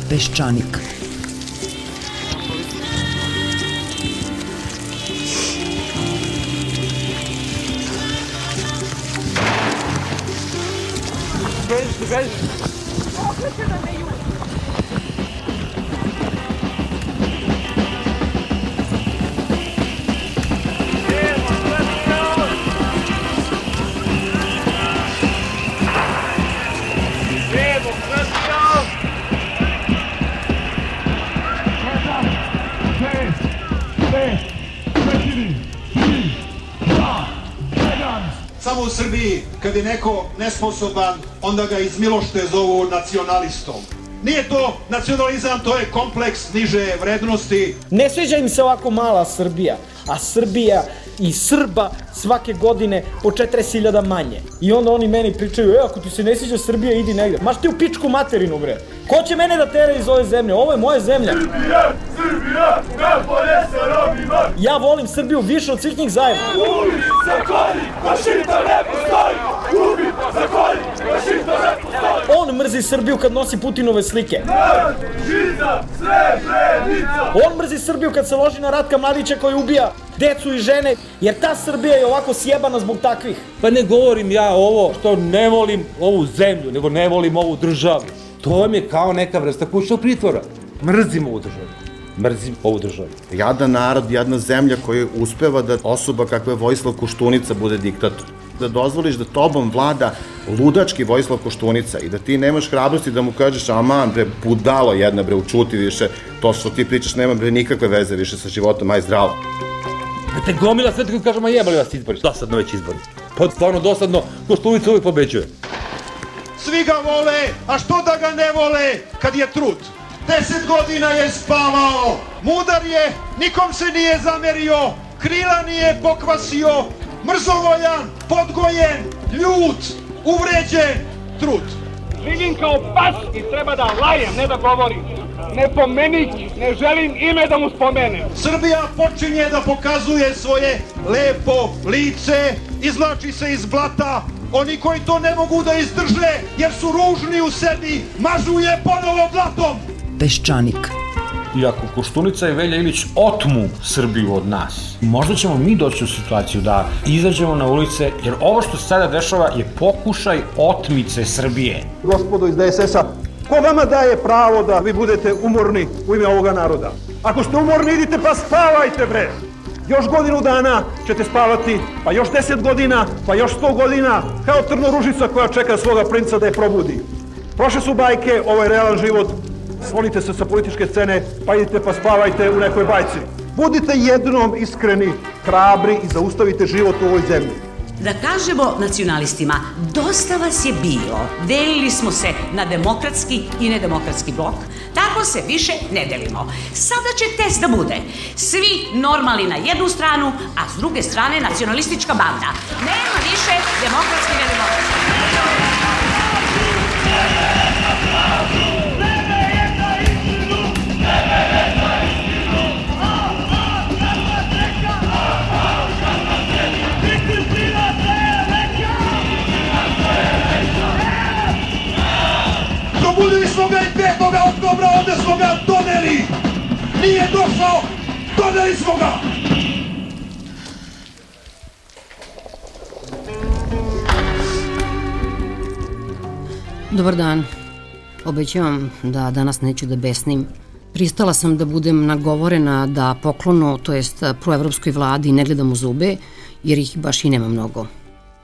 Peščanik. Samo u Srbiji, kad je neko nesposoban, onda ga iz milošte zovu nacionalistom. Nije to nacionalizam, to je kompleks niže vrednosti. Ne sviđa im se ovako mala Srbija, a Srbija i Srba svake godine po 40.000 manje. I onda oni meni pričaju, ako ti se ne sviđa Srbija, idi negde. Maš ti u pičku materinu, bre. Ko će mene da tera iz ove zemlje? Ovo je moja zemlja. Srbija, najbolje se robima. Ja volim Srbiju više od svih njih zajedno. Ubi, zakolji, Vašington ne postoji. Ubi, zakolji, Vašington ne postoji. On mrzi Srbiju kad nosi Putinove slike. Žiza, Srebrenica. On mrzi Srbiju kad se loži na Ratka Mladića koji ubija decu i žene, jer ta Srbija je ovako sjebana zbog takvih. Pa ne govorim ja ovo što ne volim ovu zemlju, nego ne volim ovu državu. To vam je kao neka vrsta kućnog pritvora. Mrzim ovu državu. Mrzim ovu državu. Jadan narod, jadna zemlja koja uspeva da osoba kakva je Vojislav Koštunica bude diktator. Da dozvoliš da tobom vlada ludački Vojislav Koštunica i da ti nemaš hrabrosti da mu kažeš aman bre, budalo jedna bre, učuti više, to što ti pričaš nema bre nikakve veze više sa životom, aj zdravo. Te gomila sve tako kažem, a jebali vas izbori. Dosadno već izbori. Pa stvarno dosadno, Koštunica uvijek pobeđuje. Svi ga vole, a što da ga ne vole kad je trud? 10 godina je spavao, mudar je, nikom se nije zamerio, krila nije pokvasio, mrzovoljan, podgojen, ljut, uvređen, trud. Živim kao pas i treba da lajem, ne da govorim. Ne pomenik, ne želim ime da mu spomenem. Srbija počinje da pokazuje svoje lepo lice, izvlači se iz blata. Oni koji to ne mogu da izdrže jer su ružni u sebi, mažu je ponovo blatom. Peščanik. I ako Koštunica i Velja Ilić otmu Srbiju od nas, možda ćemo mi doći u situaciju da izađemo na ulice, jer ovo što se sada dešava je pokušaj otmice Srbije. Gospodo iz DSS-a, ko vama daje pravo da vi budete umorni u ime ovoga naroda? Ako ste umorni, idite pa spavajte, bre! Još godinu dana ćete spavati, pa još 10 godina, pa još 100 godina, kao trnoružica koja čeka svoga princa da je probudi. Prošle su bajke, ovo je realan život, sklonite se sa političke scene, pa idite pa spavajte u nekoj bajci. Budite jednom iskreni, hrabri i zaustavite život u ovoj zemlji. Da kažemo nacionalistima, dosta vas je bilo, delili smo se na demokratski i nedemokratski blok, tako se više ne delimo. Sada će test da bude, svi normalni na jednu stranu, a s druge strane nacionalistička banda. Nema više demokratski i nedemokratski. Probudili smo ga i 5. oktobra, ovde smo ga doneli. Nije došao, doneli smo ga. Dobar dan. Obećavam da danas neću da besnim. Pristala sam da budem nagovorena da poklonu, to jest proevropskoj vladi, ne gledam u zube, jer ih baš i nema mnogo.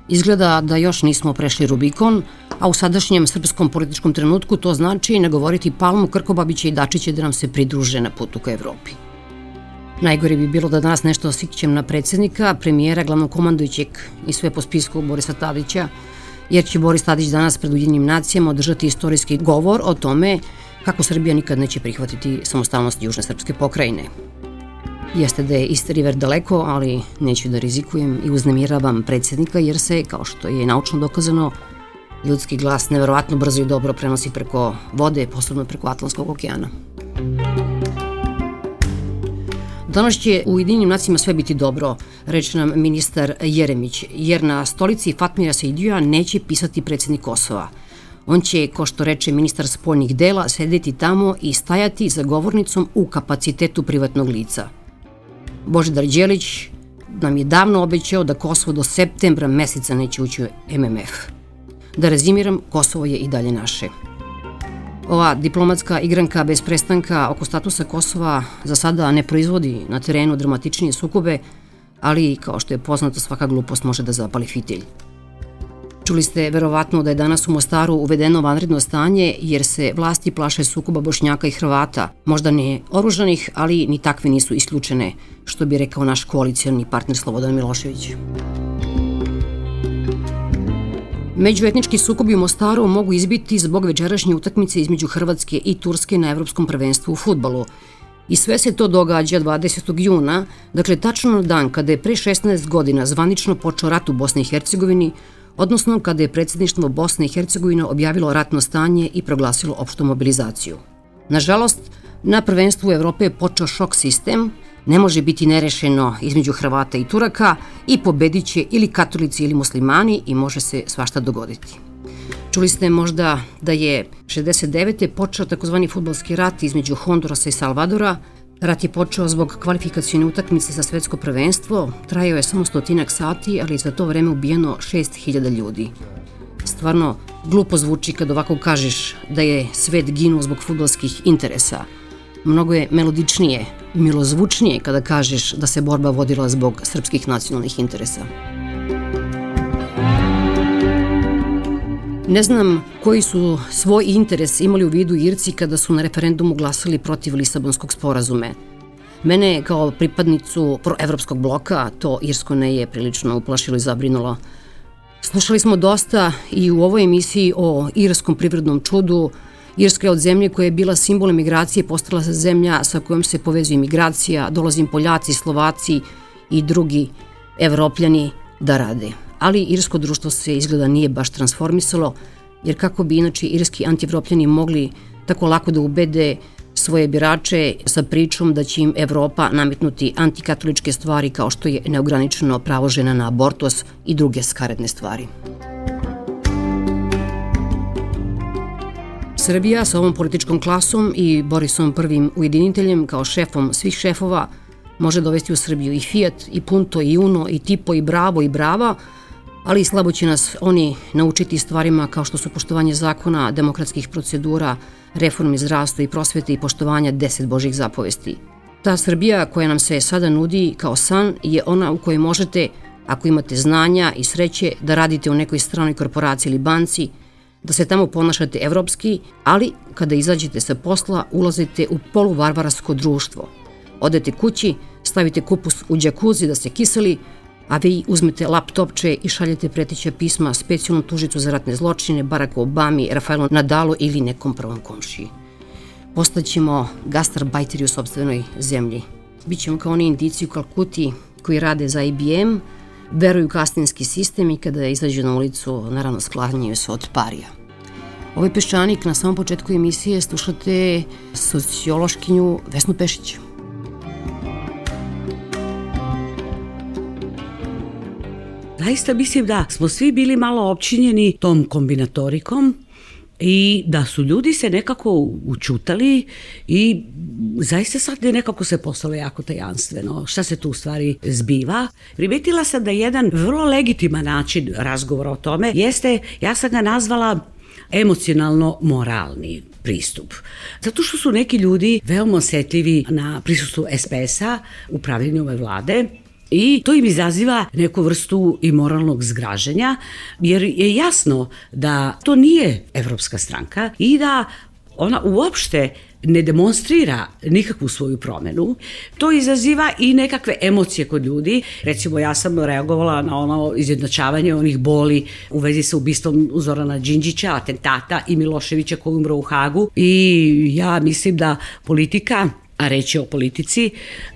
Izgleda da još nismo prešli Rubikon, a u sadašnjem srpskom političkom trenutku to znači nagovoriti Palmu, Krkobabića i Dačića da nam se pridruže na putu ka Evropi. Najgore bi bilo da danas nešto osikćem na predsjednika, premijera, glavnokomandujućeg i sve po spisku Borisa Tadića, jer će Boris Tadić danas pred Ujedinjenim nacijama održati istorijski govor o tome kako Srbija nikad neće prihvatiti samostalnost južne srpske pokrajine. Jeste da je East River daleko, ali neću da rizikujem i uznemiravam predsjednika jer se, kao što je naučno dokazano, ljudski glas neverovatno brzo i dobro prenosi preko vode, posebno preko Atlantskog okeana. Danas će u Ujedinjenim nacijama sve biti dobro, reče nam ministar Jeremić, jer na stolici Fatmira Sejdija neće pisati predsjednik Kosova. On će, ko što reče ministar spoljnih dela, sedeti tamo i stajati za govornicom u kapacitetu privatnog lica. Božidar Đelić nam je davno obećao da Kosovo do septembra meseca neće ući u MMF. Da rezimiram, Kosovo je i dalje naše. Ova diplomatska igranka bez prestanka oko statusa Kosova za sada ne proizvodi na terenu dramatičnije sukobe, ali kao što je poznato, svaka glupost može da zapali fitilj. Čuli ste verovatno da je danas u Mostaru uvedeno vanredno stanje jer se vlasti plaše sukoba Bošnjaka i Hrvata, možda ne oružanih, ali ni takve nisu isključene, što bi rekao naš koalicioni partner Slobodan Milošević. Međuetnički sukobi u Mostaru mogu izbiti zbog večerašnje utakmice između Hrvatske i Turske na Evropskom prvenstvu u fudbalu. I sve se to događa 20. juna, dakle tačno na dan kada je pre 16 godina zvanično počeo rat u Bosni i Hercegovini, odnosno kada je predsjedništvo Bosne i Hercegovine objavilo ratno stanje i proglasilo opštu mobilizaciju. Nažalost, na prvenstvu Evrope je počeo šok sistem, ne može biti nerešeno između Hrvata i Turaka i pobedit će ili katolici ili muslimani i može se svašta dogoditi. Čuli ste možda da je 69. počeo takozvani fudbalski rat između Hondurasa i Salvadora. Rat je počeo zbog kvalifikacione utakmice za svetsko prvenstvo, trajao je samo 100 sati, ali je za to vreme ubijeno 6000 ljudi. Stvarno, glupo zvuči kad ovako kažeš da je svet ginuo zbog fudbalskih interesa. Mnogo je melodičnije, milozvučnije kada kažeš da se borba vodila zbog srpskih nacionalnih interesa. Ne znam koji su svoj interes imali u vidu Irci kada su na referendumu glasali protiv Lisabonskog sporazume. Mene kao pripadnicu proevropskog bloka to irsko ne je prilično uplašilo i zabrinulo. Slušali smo dosta i u ovoj emisiji o irskom privrednom čudu. Irska je od zemlje koja je bila simbol emigracije postala zemlja sa kojom se povezuje imigracija, dolazi Poljaci, Slovaci i drugi Evropljani da rade. Ali irsko društvo se izgleda nije baš transformisalo, jer kako bi inače irski antievropljani mogli tako lako da ubede svoje birače sa pričom da će im Evropa nametnuti antikatoličke stvari kao što je neograničeno pravo žena na abortus i druge skaredne stvari. Srbija sa ovom političkom klasom i Borisom prvim ujediniteljem kao šefom svih šefova može dovesti u Srbiju i Fiat, i Punto, i Uno, i Tipo, i Bravo, i Brava, ali i slabo će nas oni naučiti stvarima kao što su poštovanje zakona, demokratskih procedura, reforme zdravstva i prosvete i poštovanja 10 Božjih zapovesti. Ta Srbija koja nam se sada nudi kao san je ona u kojoj možete, ako imate znanja i sreće, da radite u nekoj stranoj korporaciji ili banci, da se tamo ponašate evropski, ali kada izađete sa posla ulazite u poluvarvarsko društvo. Odete kući, stavite kupus u džakuzi da se kiseli, a vi uzmete laptopče i šaljete preteća pisma specijalnom tužicu za ratne zločine, Baracku Obami, Rafaelu Nadalu ili nekom prvom komšiji. Postaćemo gastarbajteri u sopstvenoj zemlji. Bićemo kao oni Indijci u Kalkuti koji rade za IBM, veruju kastinski sistem i kada izađu na ulicu, naravno sklanjaju se od parija. Ovaj peščanik na samom početku emisije slušate sociološkinju Vesnu Pešić. Zaista mislim da smo svi bili malo opčinjeni tom kombinatorikom i da su ljudi se nekako učutali i zaista sad je nekako se postalo jako tajanstveno. Šta se tu u stvari zbiva? Primetila sam da jedan vrlo legitiman način razgovora o tome jeste, ja sam ga nazvala emocionalno moralni pristup. Zato što su neki ljudi veoma osetljivi na prisustvu SPS-a u pravljenju ove vlade, i to im izaziva neku vrstu i moralnog zgražanja, jer je jasno da to nije evropska stranka i da ona uopšte ne demonstrira nikakvu svoju promenu. To izaziva i nekakve emocije kod ljudi. Recimo, ja sam reagovala na ono izjednačavanje onih boli u vezi sa ubistvom Zorana Đinđića, atentata i Miloševića koji umro u Hagu. I ja mislim da politika, a reći o politici,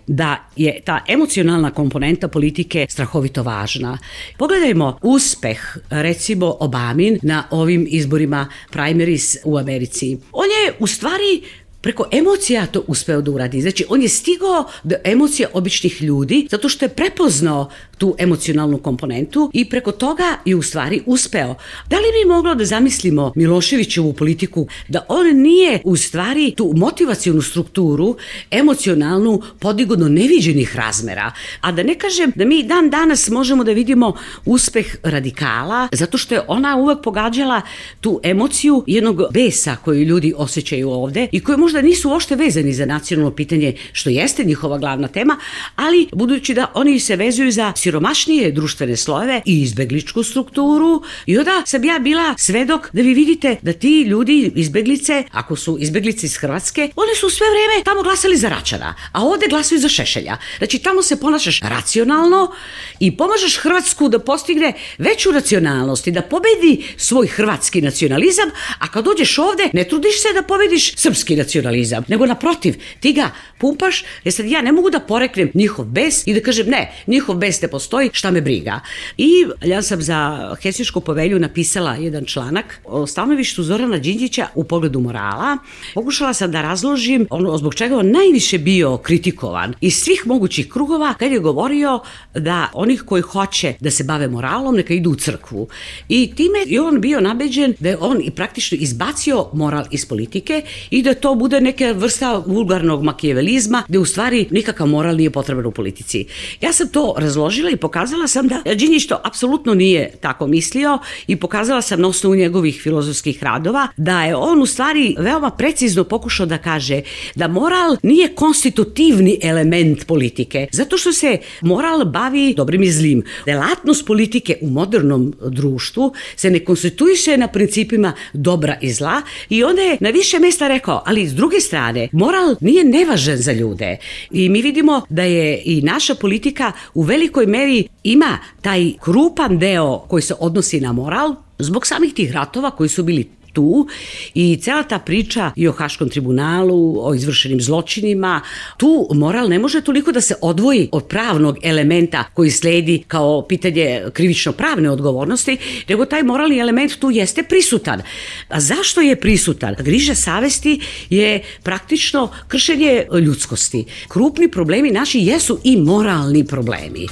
da je ta emocionalna komponenta politike strahovito važna. Pogledajmo uspeh, recimo, Obamin na ovim izborima primaries u Americi. On je u stvari preko emocija to uspeo da uradi. Znači, on je stigao do emocija običnih ljudi zato što je prepoznao tu emocionalnu komponentu i preko toga je u stvari uspeo. Da li bi moglo da zamislimo Miloševićevu politiku da on nije u stvari tu motivacionu strukturu emocionalnu podigao do neviđenih razmera, a da ne kažem da mi dan danas možemo da vidimo uspeh radikala, zato što je ona uvek pogađala tu emociju jednog besa koju ljudi osjećaju ovde i koji možda nisu uopšte vezani za nacionalno pitanje, što jeste njihova glavna tema, ali budući da oni se vezuju za siromašnije društvene slojeve i izbegličku strukturu, i onda sam ja bila svedok da vi vidite da ti ljudi izbeglice, ako su izbeglice iz Hrvatske, one su sve vreme tamo glasali za Račana, a ovde glasaju za Šešelja. Znači tamo se ponašaš racionalno i pomažeš Hrvatsku da postigne veću racionalnost i da pobedi svoj hrvatski nacionalizam, a kad dođeš ovde ne trudiš se da pobediš srpski nacionalizam, nego naprotiv, ti ga pumpaš, jer sad ja ne mogu da poreknem njihov bes i da kažem ne, njihov bes ne postoji, šta me briga. I ja sam za Helsinšku povelju napisala jedan članak o stanovištu Zorana Đinđića u pogledu morala. Pokušala sam da razložim ono zbog čega on najviše bio kritikovan iz svih mogućih krugova kad je govorio da onih koji hoće da se bave moralom neka idu u crkvu. I time je on bio nabeđen da je on i praktično izbacio moral iz politike i da to bude neka vrsta vulgarnog makijavelizma gde u stvari nikakav moral nije potreban u politici. Ja sam to razložila i pokazala sam da Đinđić to apsolutno nije tako mislio i pokazala sam na osnovu njegovih filozofskih radova da je on u stvari veoma precizno pokušao da kaže da moral nije konstitutivni element politike, zato što se moral bavi dobrim i zlim. Delatnost politike u modernom društvu se ne konstituiše na principima dobra i zla i onda je na više mesta rekao, ali s druge strane, moral nije nevažan za ljude i mi vidimo da je i naša politika u velikoj meri ima taj krupan deo koji se odnosi na moral zbog samih tih ratova koji su bili tu i cela ta priča i o Haškom tribunalu, o izvršenim zločinima, tu moral ne može toliko da se odvoji od pravnog elementa koji sledi kao pitanje krivično-pravne odgovornosti, nego taj moralni element tu jeste prisutan. A zašto je prisutan? Griža savesti je praktično kršenje ljudskosti. Krupni problemi naši jesu i moralni problemi.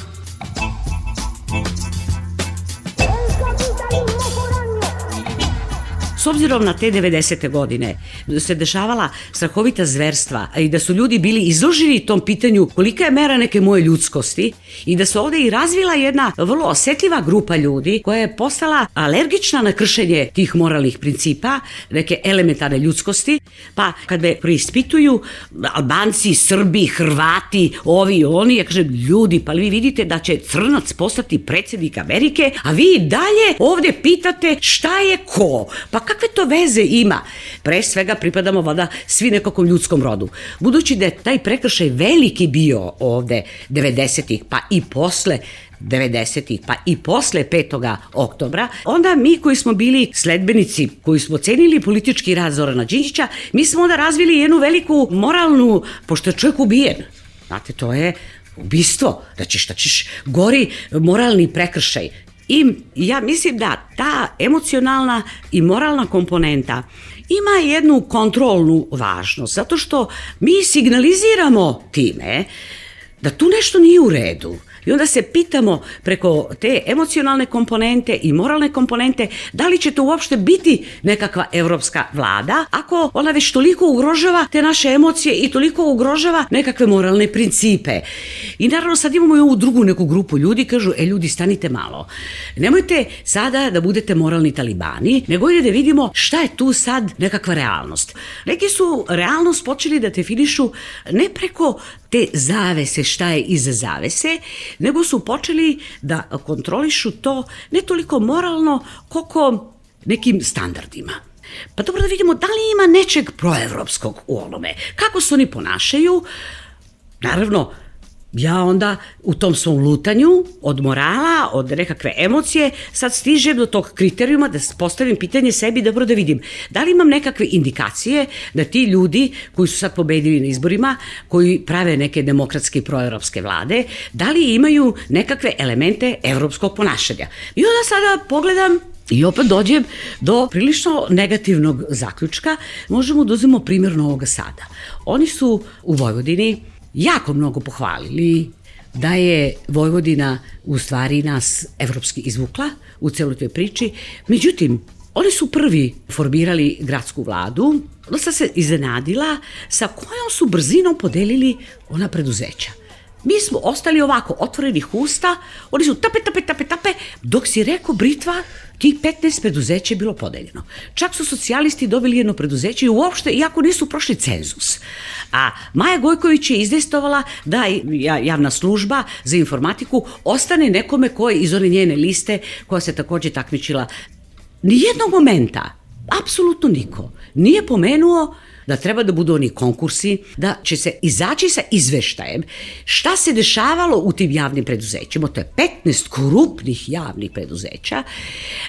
S obzirom na te 90. godine se dešavala strahovita zverstva i da su ljudi bili izloženi tom pitanju kolika je mera neke moje ljudskosti i da se ovde i razvila jedna vrlo osetljiva grupa ljudi koja je postala alergična na kršenje tih moralnih principa, neke elementarne ljudskosti, pa kad me preispituju Albanci, Srbi, Hrvati, ovi i oni, ja kažem, ljudi, pa vi vidite da će Crnac postati predsjednik Amerike, a vi dalje ovde pitate šta je ko, pa kakve to veze ima? Pre svega pripadamo vada svi nekakvom ljudskom rodu. Budući da je taj prekršaj veliki bio ovde 90-ih, pa i posle 90-ih, pa i posle 5. oktobra, onda mi koji smo bili sledbenici, koji smo cenili politički rad Zorana Đinđića, mi smo onda razvili jednu veliku moralnu, pošto je čovjek ubijen. Znate, to je ubistvo, da ćeš gori moralni prekršaj. I ja mislim da ta emocionalna i moralna komponenta ima jednu kontrolnu važnost, zato što mi signaliziramo time da tu nešto nije u redu. I onda se pitamo preko te emocionalne komponente i moralne komponente da li će to uopšte biti nekakva evropska vlada ako ona već toliko ugrožava te naše emocije i toliko ugrožava nekakve moralne principe. I naravno sad imamo i ovu drugu neku grupu ljudi, kažu, ljudi stanite malo, nemojte sada da budete moralni talibani, nego da vidimo šta je tu sad nekakva realnost. Neki su realnost počeli da definišu ne preko te zavese, šta je iza zavese, nego su počeli da kontrolišu to ne toliko moralno, koliko nekim standardima. Pa dobro da vidimo da li ima nečeg proevropskog u onome. Kako se oni ponašaju? Naravno, ja onda u tom svom lutanju od morala, od nekakve emocije, sad stižem do tog kriterijuma da postavim pitanje sebi dobro da vidim da li imam nekakve indikacije da ti ljudi koji su sad pobedili na izborima, koji prave neke demokratske i proevropske vlade, da li imaju nekakve elemente evropskog ponašanja. I onda sada pogledam i opet dođem do prilično negativnog zaključka. Možemo da uzmemo primjer Novog Sada. Oni su u Vojvodini jako mnogo pohvalili da je Vojvodina u stvari nas evropski izvukla u celoj toj priči. Međutim, oni su prvi formirali gradsku vladu, dosta se iznenadila sa kojom su brzinom podelili ona preduzeća. Mi smo ostali ovako, otvorenih usta, oni su tape, dok si rekao Britva, tih 15 preduzeća je bilo podeljeno. Čak su socijalisti dobili jedno preduzeće i uopšte, iako nisu prošli cenzus. A Maja Gojković je izdejstvovala da javna služba za informatiku ostane nekome ko je iz one njene liste, koja se takođe takmičila. Nijednog momenta, apsolutno niko, nije pomenuo da treba da budu oni konkursi, da će se izaći sa izveštajem šta se dešavalo u tim javnim preduzećima. To je 15 krupnih javnih preduzeća,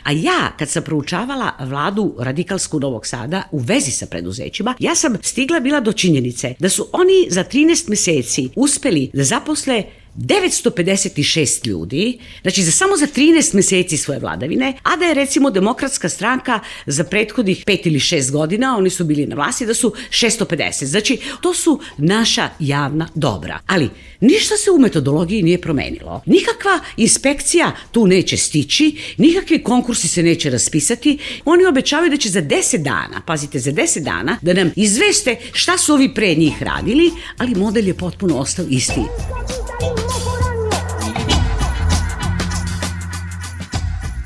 a ja kad sam proučavala vladu radikalsku Novog Sada u vezi sa preduzećima, ja sam stigla bila do činjenice da su oni za 13 meseci uspeli da zaposle 956 ljudi, znači samo za 13 meseci svoje vladavine, a da je recimo Demokratska stranka za prethodnih 5 ili 6 godina, oni su bili na vlasti, da su 650. Znači, to su naša javna dobra. Ali ništa se u metodologiji nije promenilo. Nikakva inspekcija tu neće stići, nikakvi konkursi se neće raspisati. Oni obećavaju da će za 10 dana, pazite, za 10 dana, da nam izveste šta su ovi pre njih radili, ali model je potpuno ostao isti.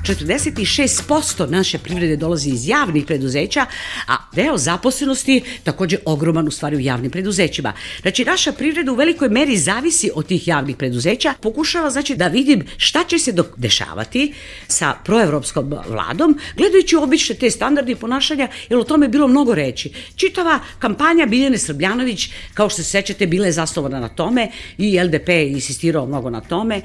46% naše privrede dolazi iz javnih preduzeća, a deo zaposlenosti takođe ogroman u stvari u javnim preduzećima. Znači, naša privreda u velikoj meri zavisi od tih javnih preduzeća. Pokušava, znači, da vidim šta će se dešavati sa proevropskom vladom, gledajući obične te standarde ponašanja, jer o tome je bilo mnogo reči. Čitava kampanja Biljane Srbljanović, kao što se sećate, bila je zasnovana na tome i LDP je insistirao mnogo na tome.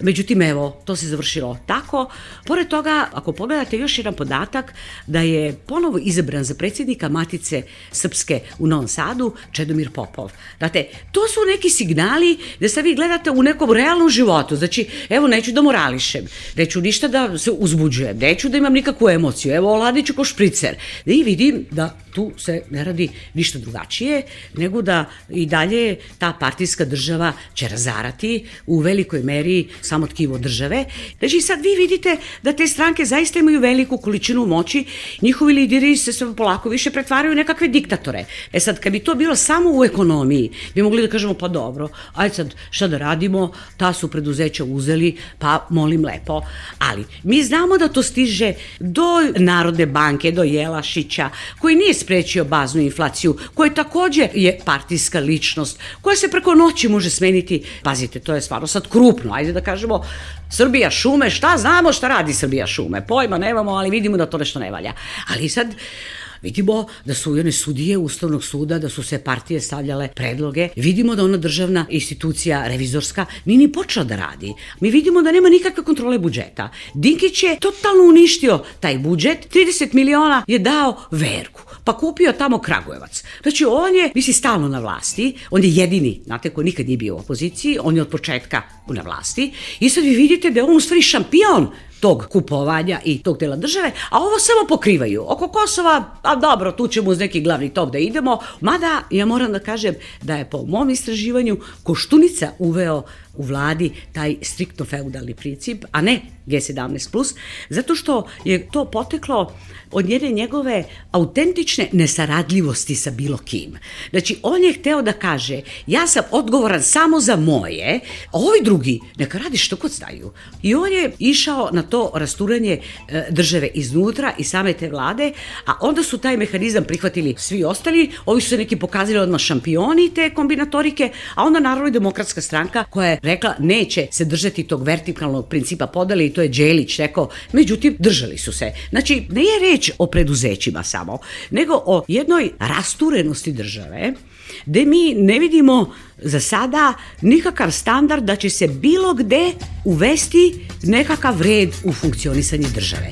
Međutim, evo, to se završilo tako. Pored toga, ako pogledate još jedan podatak, da je ponovo izabran za predsjednika Matice Srpske u Novom Sadu Čedomir Popov. Znate, to su neki signali da se vi gledate u nekom realnom životu. Znači, evo, neću da morališem, neću ništa da se uzbuđujem, neću da imam nikakvu emociju, evo, oladiću ko špricer. I vidim da tu se ne radi ništa drugačije, nego da i dalje ta partijska država će razarati u velikoj meri samo tkivo države. Znači, sad vi vidite da te stranke zaista imaju veliku količinu moći, njihovi lideri se sve polako više pretvaraju u nekakve diktatore. E sad, kad bi to bilo samo u ekonomiji, bi mogli da kažemo, pa dobro, ajde sad šta da radimo, ta su preduzeća uzeli, pa molim lepo. Ali mi znamo da to stiže do Narodne banke, do Jelašića, koji nije sprečio baznu inflaciju, koji takođe je partijska ličnost, koja se preko noći može smeniti. Pazite, to je stvarno sad krupno, ajde da kažemo, Srbija šume, šta znamo šta radi Srbija šume, pojma nemamo, ali vidimo da to nešto ne valja. Ali sad vidimo da su one sudije Ustavnog suda, da su se partije stavljale predloge, vidimo da ona državna institucija revizorska nije ni počela da radi. Mi vidimo da nema nikakve kontrole budžeta. Dinkić je totalno uništio taj budžet, 30 miliona je dao Verku, pa kupio tamo Kragujevac. Znači, on je, misli, stalno na vlasti, on je jedini, znate, ko nikad nije bio u opoziciji, on je od početka na vlasti i sad vi vidite da je on u stvari šampion tog kupovanja i tog dela države, a ovo samo pokrivaju. Oko Kosova, a dobro, tu ćemo uz neki glavni tok da idemo, mada ja moram da kažem da je po mom istraživanju Koštunica uveo u vladi taj striktno feudalni princip, a ne G17+, zato što je to poteklo od njegove autentične nesaradljivosti sa bilo kim. Znači, on je hteo da kaže, ja sam odgovoran samo za moje, a ovi drugi neka radi što god znaju. I on je išao na to rasturanje države iznutra i same te vlade, a onda su taj mehanizam prihvatili svi ostali, ovi su se neki pokazali odmah šampioni te kombinatorike, a onda naravno i Demokratska stranka koja je rekla neće se držati tog vertikalnog principa podele i to je Đelić rekao, međutim držali su se. Znači, ne je reč o preduzećima samo, nego o jednoj rasturenosti države, gde mi ne vidimo za sada nikakav standard da će se bilo gde uvesti nekakav red u funkcionisanje države.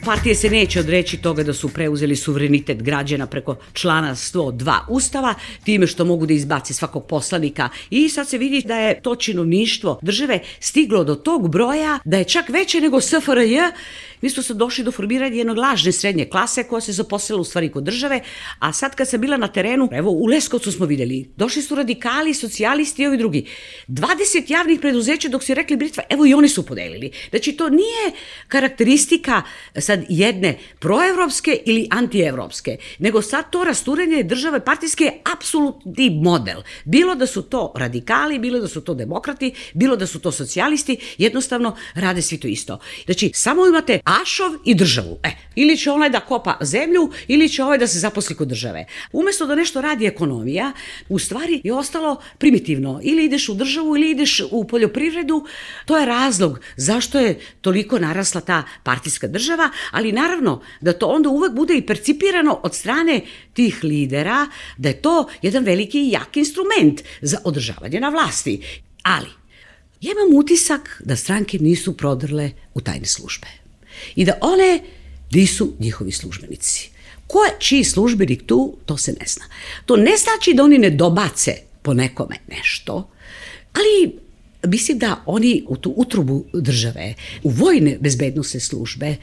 Partije se neće odreći toga da su preuzeli suverenitet građana preko člana 102 Ustava, time što mogu da izbaci svakog poslanika i sad se vidi da je to činovništvo države stiglo do tog broja da je čak veće nego SFRJ. mi smo sad došli do formiranja jednog lažne srednje klase koja se zaposlila u stvari kod države, a sad kad sam bila na terenu, evo u Leskovcu smo videli, došli su radikali, socijalisti i ovi drugi. 20 javnih preduzeća dok su rekli Britva, evo i oni su podelili. Znači to nije karakteristika sad jedne proevropske ili antievropske, nego sad to rasturanje države partijske je apsolutni model. Bilo da su to radikali, bilo da su to demokrati, bilo da su to socijalisti, jednostavno rade svi to isto. Znači, samo imate Ašov i državu. Ili će onaj da kopa zemlju, ili će ovaj da se zaposli kod države. Umesto da nešto radi ekonomija, u stvari je ostalo primitivno. Ili ideš u državu, ili ideš u poljoprivredu. To je razlog zašto je toliko narasla ta partijska država, ali naravno da to onda uvek bude i percipirano od strane tih lidera, da je to jedan veliki i jak instrument za održavanje na vlasti. Ali, ja imam utisak da stranke nisu prodrle u tajne službe i da one nisu njihovi službenici. Ko je čiji službenik tu, to se ne zna. To ne znači da oni ne dobace po nekome nešto, ali mislim da oni u tu utrubu države, u vojne bezbednosne službe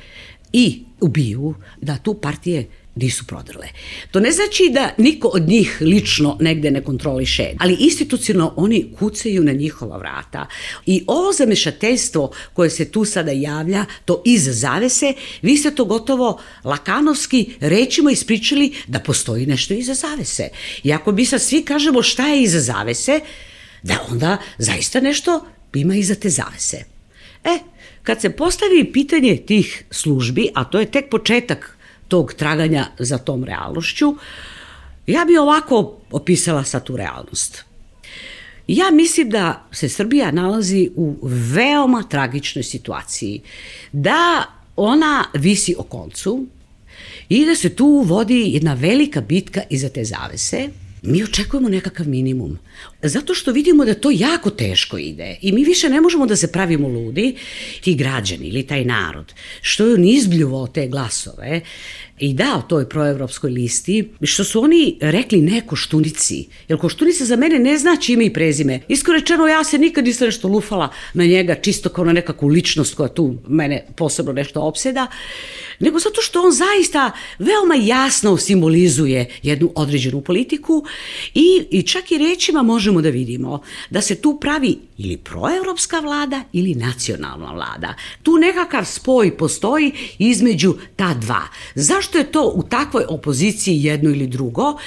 i ubiju da tu partije nisu prodrle. To ne znači da niko od njih lično negde ne kontroliše, ali institucionalno oni kucaju na njihova vrata. I ovo zamešateljstvo koje se tu sada javlja, to iza zavese, vi ste to gotovo lakanovski rečima ispričali da postoji nešto iza zavese. I ako mi sad svi kažemo šta je iza zavese, da onda zaista nešto ima iza te zavese. Kad se postavi pitanje tih službi, a to je tek početak tog traganja za tom realnošću, ja bi ovako opisala sad tu realnost. Ja mislim da se Srbija nalazi u veoma tragičnoj situaciji, da ona visi o koncu i da se tu vodi jedna velika bitka iza te zavese. Mi očekujemo nekakav minimum, zato što vidimo da to jako teško ide i mi više ne možemo da se pravimo ludi, ti građani ili taj narod, što je on izbljuvao te glasove i dao toj proevropskoj listi, što su oni rekli ne Koštunici, jer Koštunica za mene ne znači ime i prezime. Iskreno rečeno, ja se nikad nisam nešto lufala na njega, čisto kao na nekakvu ličnost koja tu mene posebno nešto opseda, nego zato što on zaista veoma jasno simbolizuje jednu određenu politiku i čak i rečima možemo da vidimo da se tu pravi ili proevropska vlada ili nacionalna vlada. Tu nekakav spoj postoji između ta dva. Zašto je to u takvoj opoziciji jedno ili drugo?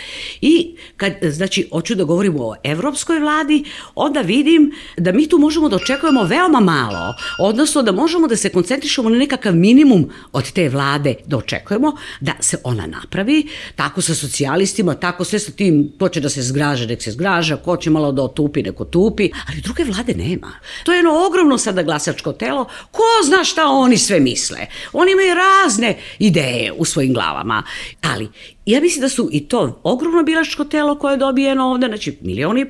I kad, znači, hoću da govorimo o evropskoj vladi, onda vidim da mi tu možemo da očekujemo veoma malo, odnosno da možemo da se koncentrišemo na nekakav minimum od te vlade da očekujemo, da se ona napravi, tako sa socijalistima, tako sve sa tim, ko će da se zgraža, nek se zgraža, ko će malo da otupi, neko tupi, ali druge vlade nema. To je jedno ogromno sada glasačko telo, ko zna šta oni sve misle. Oni imaju razne ideje u svojim glavama, ali ja mislim da su i to ogromno biračko telo koje je dobijeno ovde, znači 1,5 miliona,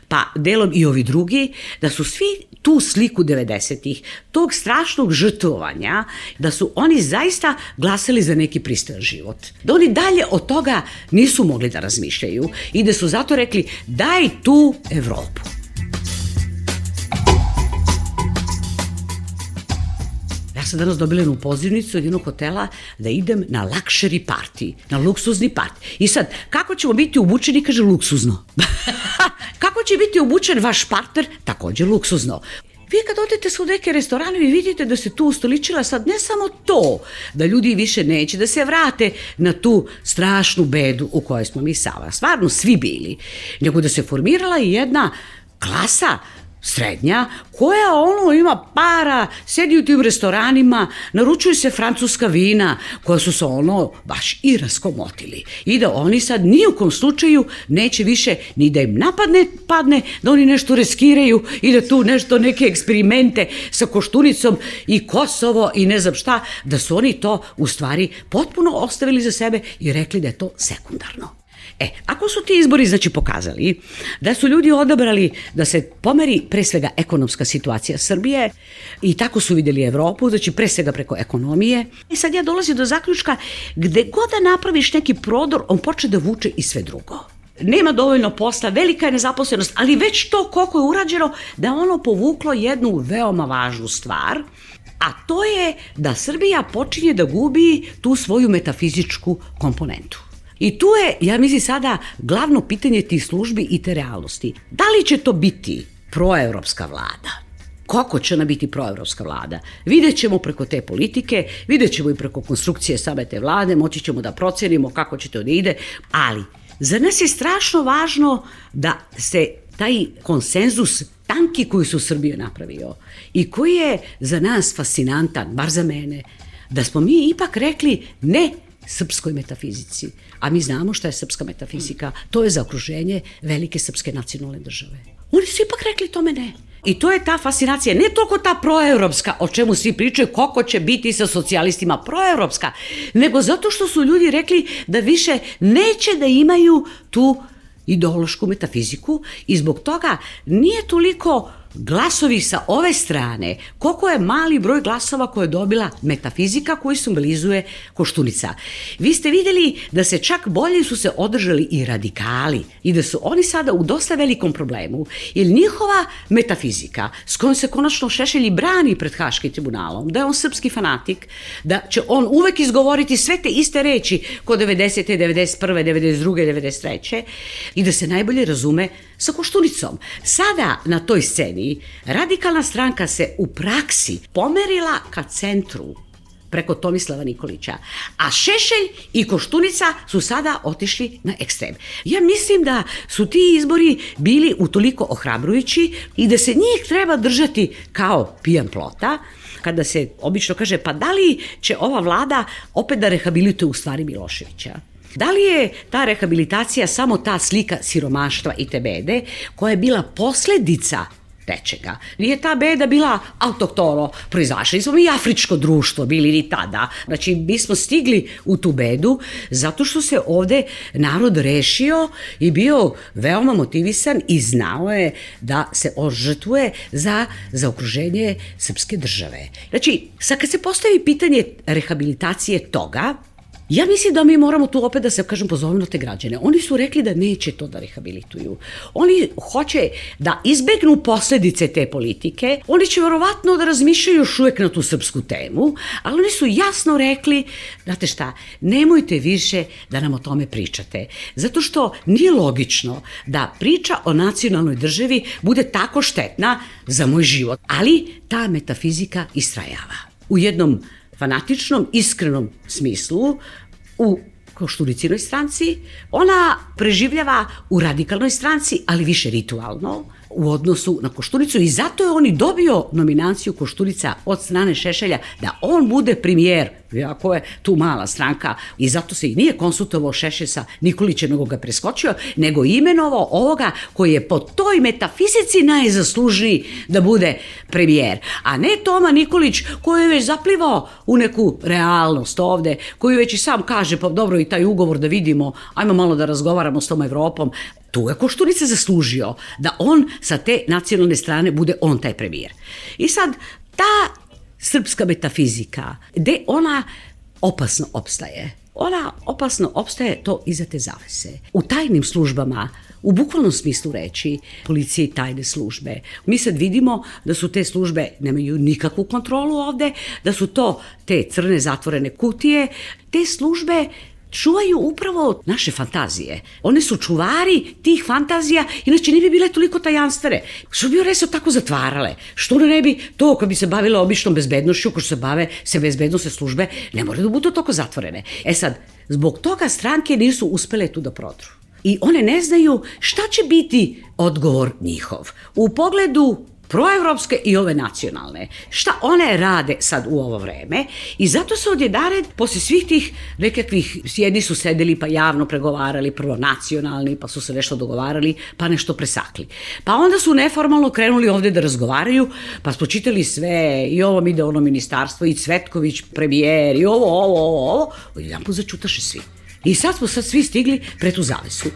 pa delom i ovi drugi, da su svi tu sliku 90-ih, tog strašnog žrtvovanja, da su oni zaista glasali za neki pristojan život. Da oni dalje od toga nisu mogli da razmišljaju i da su zato rekli daj tu Evropu. Ja sam danas dobila jednu pozivnicu od jednog hotela da idem na luxury party, na luksuzni party. I sad, kako ćemo biti obučeni, kaže luksuzno. Kako će biti obučen vaš partner, takođe luksuzno. Vi kad odete u neke restorane, vi vidite da se tu ustoličila sad ne samo to, da ljudi više neće da se vrate na tu strašnu bedu u kojoj smo mi stvarno svi bili, nego da se formirala i jedna klasa srednja, koja ima para, sedi u tim restoranima, naručuju se francuska vina, koja su se baš i raskomotili. I da oni sad ni u kom slučaju neće više ni da im padne, da oni nešto riskiraju i da tu nešto, neke eksperimente sa Koštunicom i Kosovo i ne znam šta, da su oni to u stvari potpuno ostavili za sebe i rekli da je to sekundarno. Ako su ti izbori, znači, pokazali da su ljudi odabrali da se pomeri pre svega ekonomska situacija Srbije i tako su videli Evropu, znači pre svega preko ekonomije. Sad ja dolazim do zaključka, gde god da napraviš neki prodor, on počne da vuče i sve drugo. Nema dovoljno posla, velika je nezaposlenost, ali već to koliko je urađeno da je ono povuklo jednu veoma važnu stvar, a to je da Srbija počinje da gubi tu svoju metafizičku komponentu. I tu je, ja mislim sada, glavno pitanje tih službi i te realnosti. Da li će to biti proevropska vlada? Kako će ona biti proevropska vlada? Vidjet ćemo preko te politike, vidjet ćemo i preko konstrukcije same te vlade, moći ćemo da procenimo kako će to da ide, ali za nas je strašno važno da se taj konsenzus tanki koji su Srbiju napravio i koji je za nas fascinantan, bar za mene, da smo mi ipak rekli ne srpskoj metafizici. A mi znamo šta je srpska metafizika. To je zaokruženje velike srpske nacionalne države. Oni su ipak rekli tome ne. I to je ta fascinacija, ne toliko ta proevropska, o čemu svi pričaju, kako će biti sa socijalistima proevropska, nego zato što su ljudi rekli da više neće da imaju tu ideološku metafiziku i zbog toga nije toliko glasovi sa ove strane, koliko je mali broj glasova koje je dobila metafizika koju simbolizuje Koštunica. Vi ste videli da se čak bolje su se održali i radikali i da su oni sada u dosta velikom problemu, jer njihova metafizika s kojom se konačno Šešelj brani pred Haškim tribunalom, da je on srpski fanatik, da će on uvek izgovoriti sve te iste reči kod 90. 91. 92. 93. i da se najbolje razume sa Koštunicom. Sada na toj sceni radikalna stranka se u praksi pomerila ka centru preko Tomislava Nikolića, a Šešelj i Koštunica su sada otišli na ekstrem. Ja mislim da su ti izbori bili utoliko ohrabrujući i da se njih treba držati kao pijan plota, kada se obično kaže pa da li će ova vlada opet da rehabilituje u stvari Miloševića? Da li je ta rehabilitacija samo ta slika siromaštva i te bede koja je bila posledica nečega? Nije ta beda bila autohtono proizašla, nismo mi afričko društvo bili ni tada. Znači, mi smo stigli u tu bedu zato što se ovde narod rešio i bio veoma motivisan i znao je da se ožrtvuje za zaokruženje srpske države. Znači, sad kad se postavi pitanje rehabilitacije toga, ja mislim da mi moramo tu opet da se, pozovemo na te građane. Oni su rekli da neće to da rehabilituju. Oni hoće da izbegnu posledice te politike. Oni će verovatno da razmišljaju još uvek na tu srpsku temu, ali oni su jasno rekli, znate šta, nemojte više da nam o tome pričate. Zato što nije logično da priča o nacionalnoj državi bude tako štetna za moj život. Ali ta metafizika istrajava. U jednom fanatičnom, iskrenom smislu, u Koštunicinoj stranci, ona preživljava u radikalnoj stranci, ali više ritualno, u odnosu na Koštunicu i zato je on i dobio nominaciju Koštunica od strane Šešelja da on bude premijer, iako je tu mala stranka i zato se i nije konsultovao Šešelj sa Nikolićem, nego ga preskočio, nego imenovao ovoga koji je po toj metafizici najzaslužniji da bude premijer, a ne Toma Nikolić koji je već zaplivao u neku realnost ovde, koji već i sam kaže, pa dobro i taj ugovor da vidimo, ajmo malo da razgovaramo s tom Evropom. Tu je Koštunica zaslužio da on sa te nacionalne strane bude on taj premijer. I sad, ta srpska metafizika, gde ona opasno opstaje? Ona opasno opstaje to iza te zavese. U tajnim službama, u bukvalnom smislu reči, policije i tajne službe. Mi sad vidimo da su te službe, nemaju nikakvu kontrolu ovde, da su to te crne zatvorene kutije, te službe čuvaju upravo naše fantazije. One su čuvari tih fantazija, inače ne bi bile toliko tajanstvene. Što bi one se tako zatvarale? Što ne bi to, kad bi se bavile običnom bezbednošću, ko što se bave se bezbednostne službe, ne moraju da budu toliko zatvorene. E sad, zbog toga stranke nisu uspele tu da prodru. I one ne znaju šta će biti odgovor njihov. U pogledu proevropske i ove nacionalne. Šta one rade sad u ovo vreme i zato se odjedared, posle svih tih nekakvih, jedni su sedeli pa javno pregovarali, prvo nacionalni, pa su se nešto dogovarali, pa nešto presakli. Pa onda su neformalno krenuli ovde da razgovaraju, pa smo čitali sve, i ovom ide ono ministarstvo, i Cvetković premijer, i ovo, i jedan put začutaše svi. I sad smo svi stigli pred tu zavesu.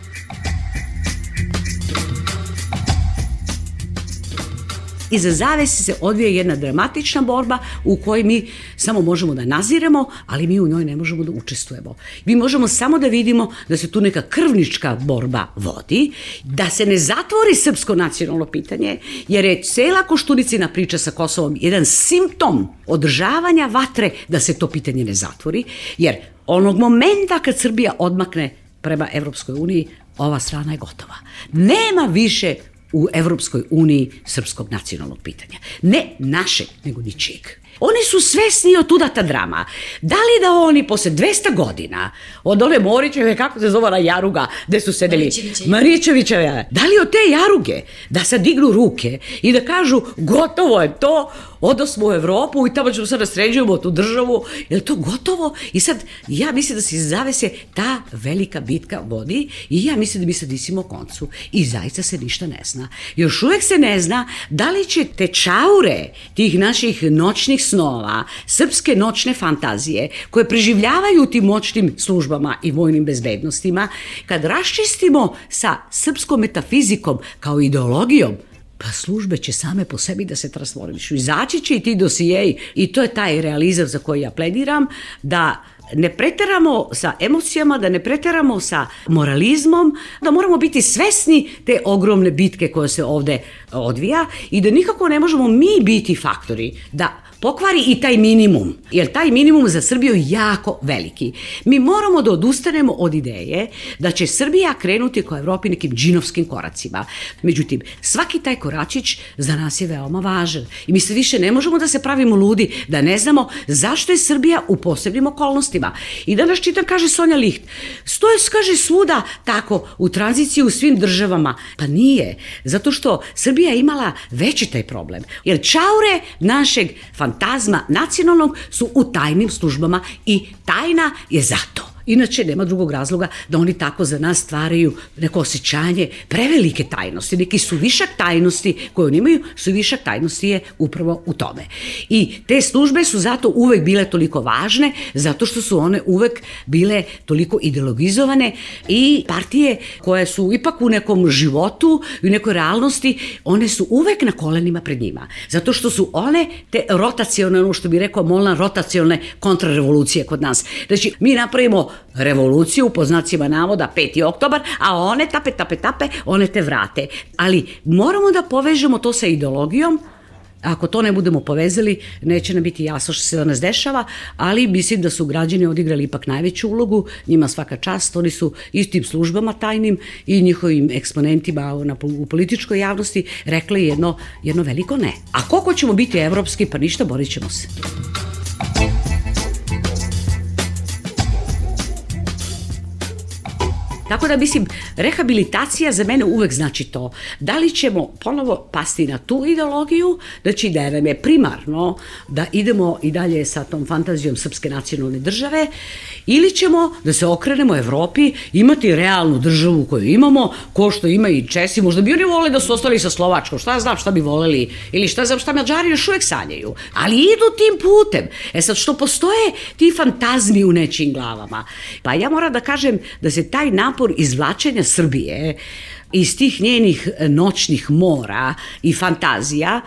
Iza zavese se odvija jedna dramatična borba u kojoj mi samo možemo da naziremo, ali mi u njoj ne možemo da učestvujemo. Mi možemo samo da vidimo da se tu neka krvnička borba vodi, da se ne zatvori srpsko nacionalno pitanje, jer je cela Koštunicina priča sa Kosovom jedan simptom održavanja vatre da se to pitanje ne zatvori, jer onog momenta kad Srbija odmakne prema Evropskoj uniji, ova strana je gotova. Nema više u Evropskoj uniji srpskog nacionalnog pitanja. Ne našeg, nego ničijeg. Oni su svesni od tuda ta drama. Da li da oni posle 200 godina od one Morićeve, kako se zove ona jaruga, gde su sedeli? Marićevićeve. Da li od te jaruge da sad dignu ruke i da kažu gotovo je to, odosmo u Evropu i tamo ćemo sad sređujemo tu državu, je li to gotovo? I sad, ja mislim da se iz zavese ta velika bitka vodi i ja mislim da mi sad visimo koncu i zaista se ništa ne zna. Još uvek se ne zna da li će te čaure tih naših noćnih snova, srpske noćne fantazije koje preživljavaju u tim moćnim službama i vojnim bezbednostima, kad raščistimo sa srpskom metafizikom kao ideologijom, pa službe će same po sebi da se transformišu. Izaći će i ti dosijeji i to je taj realizam za koji ja plediram, da ne preteramo sa emocijama, da ne preteramo sa moralizmom, da moramo biti svesni te ogromne bitke koje se ovde odvija i da nikako ne možemo mi biti faktori da pokvari i taj minimum, jer taj minimum za Srbiju je jako veliki. Mi moramo da odustanemo od ideje da će Srbija krenuti kao Evropi nekim džinovskim koracima. Međutim, svaki taj koračić za nas je veoma važan i mi se više ne možemo da se pravimo ludi, da ne znamo zašto je Srbija u posebnim okolnostima. I danas čitam, kaže Sonja Licht, stoje, kaže, svuda tako u tranziciji u svim državama. Pa nije, zato što Srbija je imala veći taj problem, jer čaure našeg fantazma nacionalnog su u tajnim službama i tajna je zato. Inače, nema drugog razloga da oni tako za nas stvaraju neko osjećanje prevelike tajnosti, neki suvišak tajnosti koje oni imaju, suvišak tajnosti je upravo u tome. I te službe su zato uvek bile toliko važne, zato što su one uvek bile toliko ideologizovane i partije koje su ipak u nekom životu i u nekoj realnosti, one su uvek na kolenima pred njima. Zato što su one te rotacione, ono što bi rekao Molnar, rotacione kontrarevolucije kod nas. Znači, mi napravimo revoluciju, po znacima navoda, 5. oktobar, a one tape, one te vrate. Ali moramo da povežemo to sa ideologijom. Ako to ne budemo povezali, neće nam biti jasno što se danas dešava, ali mislim da su građani odigrali ipak najveću ulogu, njima svaka čast, oni su istim službama tajnim i njihovim eksponentima u političkoj javnosti rekli jedno veliko ne. A koliko ćemo biti evropski, pa ništa, borit ćemo se. Tako da mislim, rehabilitacija za mene uvek znači to. Da li ćemo ponovo pasti na tu ideologiju, znači da nam je primarno da idemo i dalje sa tom fantazijom srpske nacionalne države, ili ćemo da se okrenemo Evropi, imati realnu državu koju imamo, ko što ima i Česi, možda bi oni voleli da su ostali sa Slovačkom, šta znam šta bi voleli, ili šta znam šta Mađari još uvek sanjaju, ali idu tim putem. E sad, što postoje ti fantazmi u nečijim glavama. Pa ja moram da kažem da se taj napor izvlačenja Srbije iz tih njenih noćnih mora i fantazija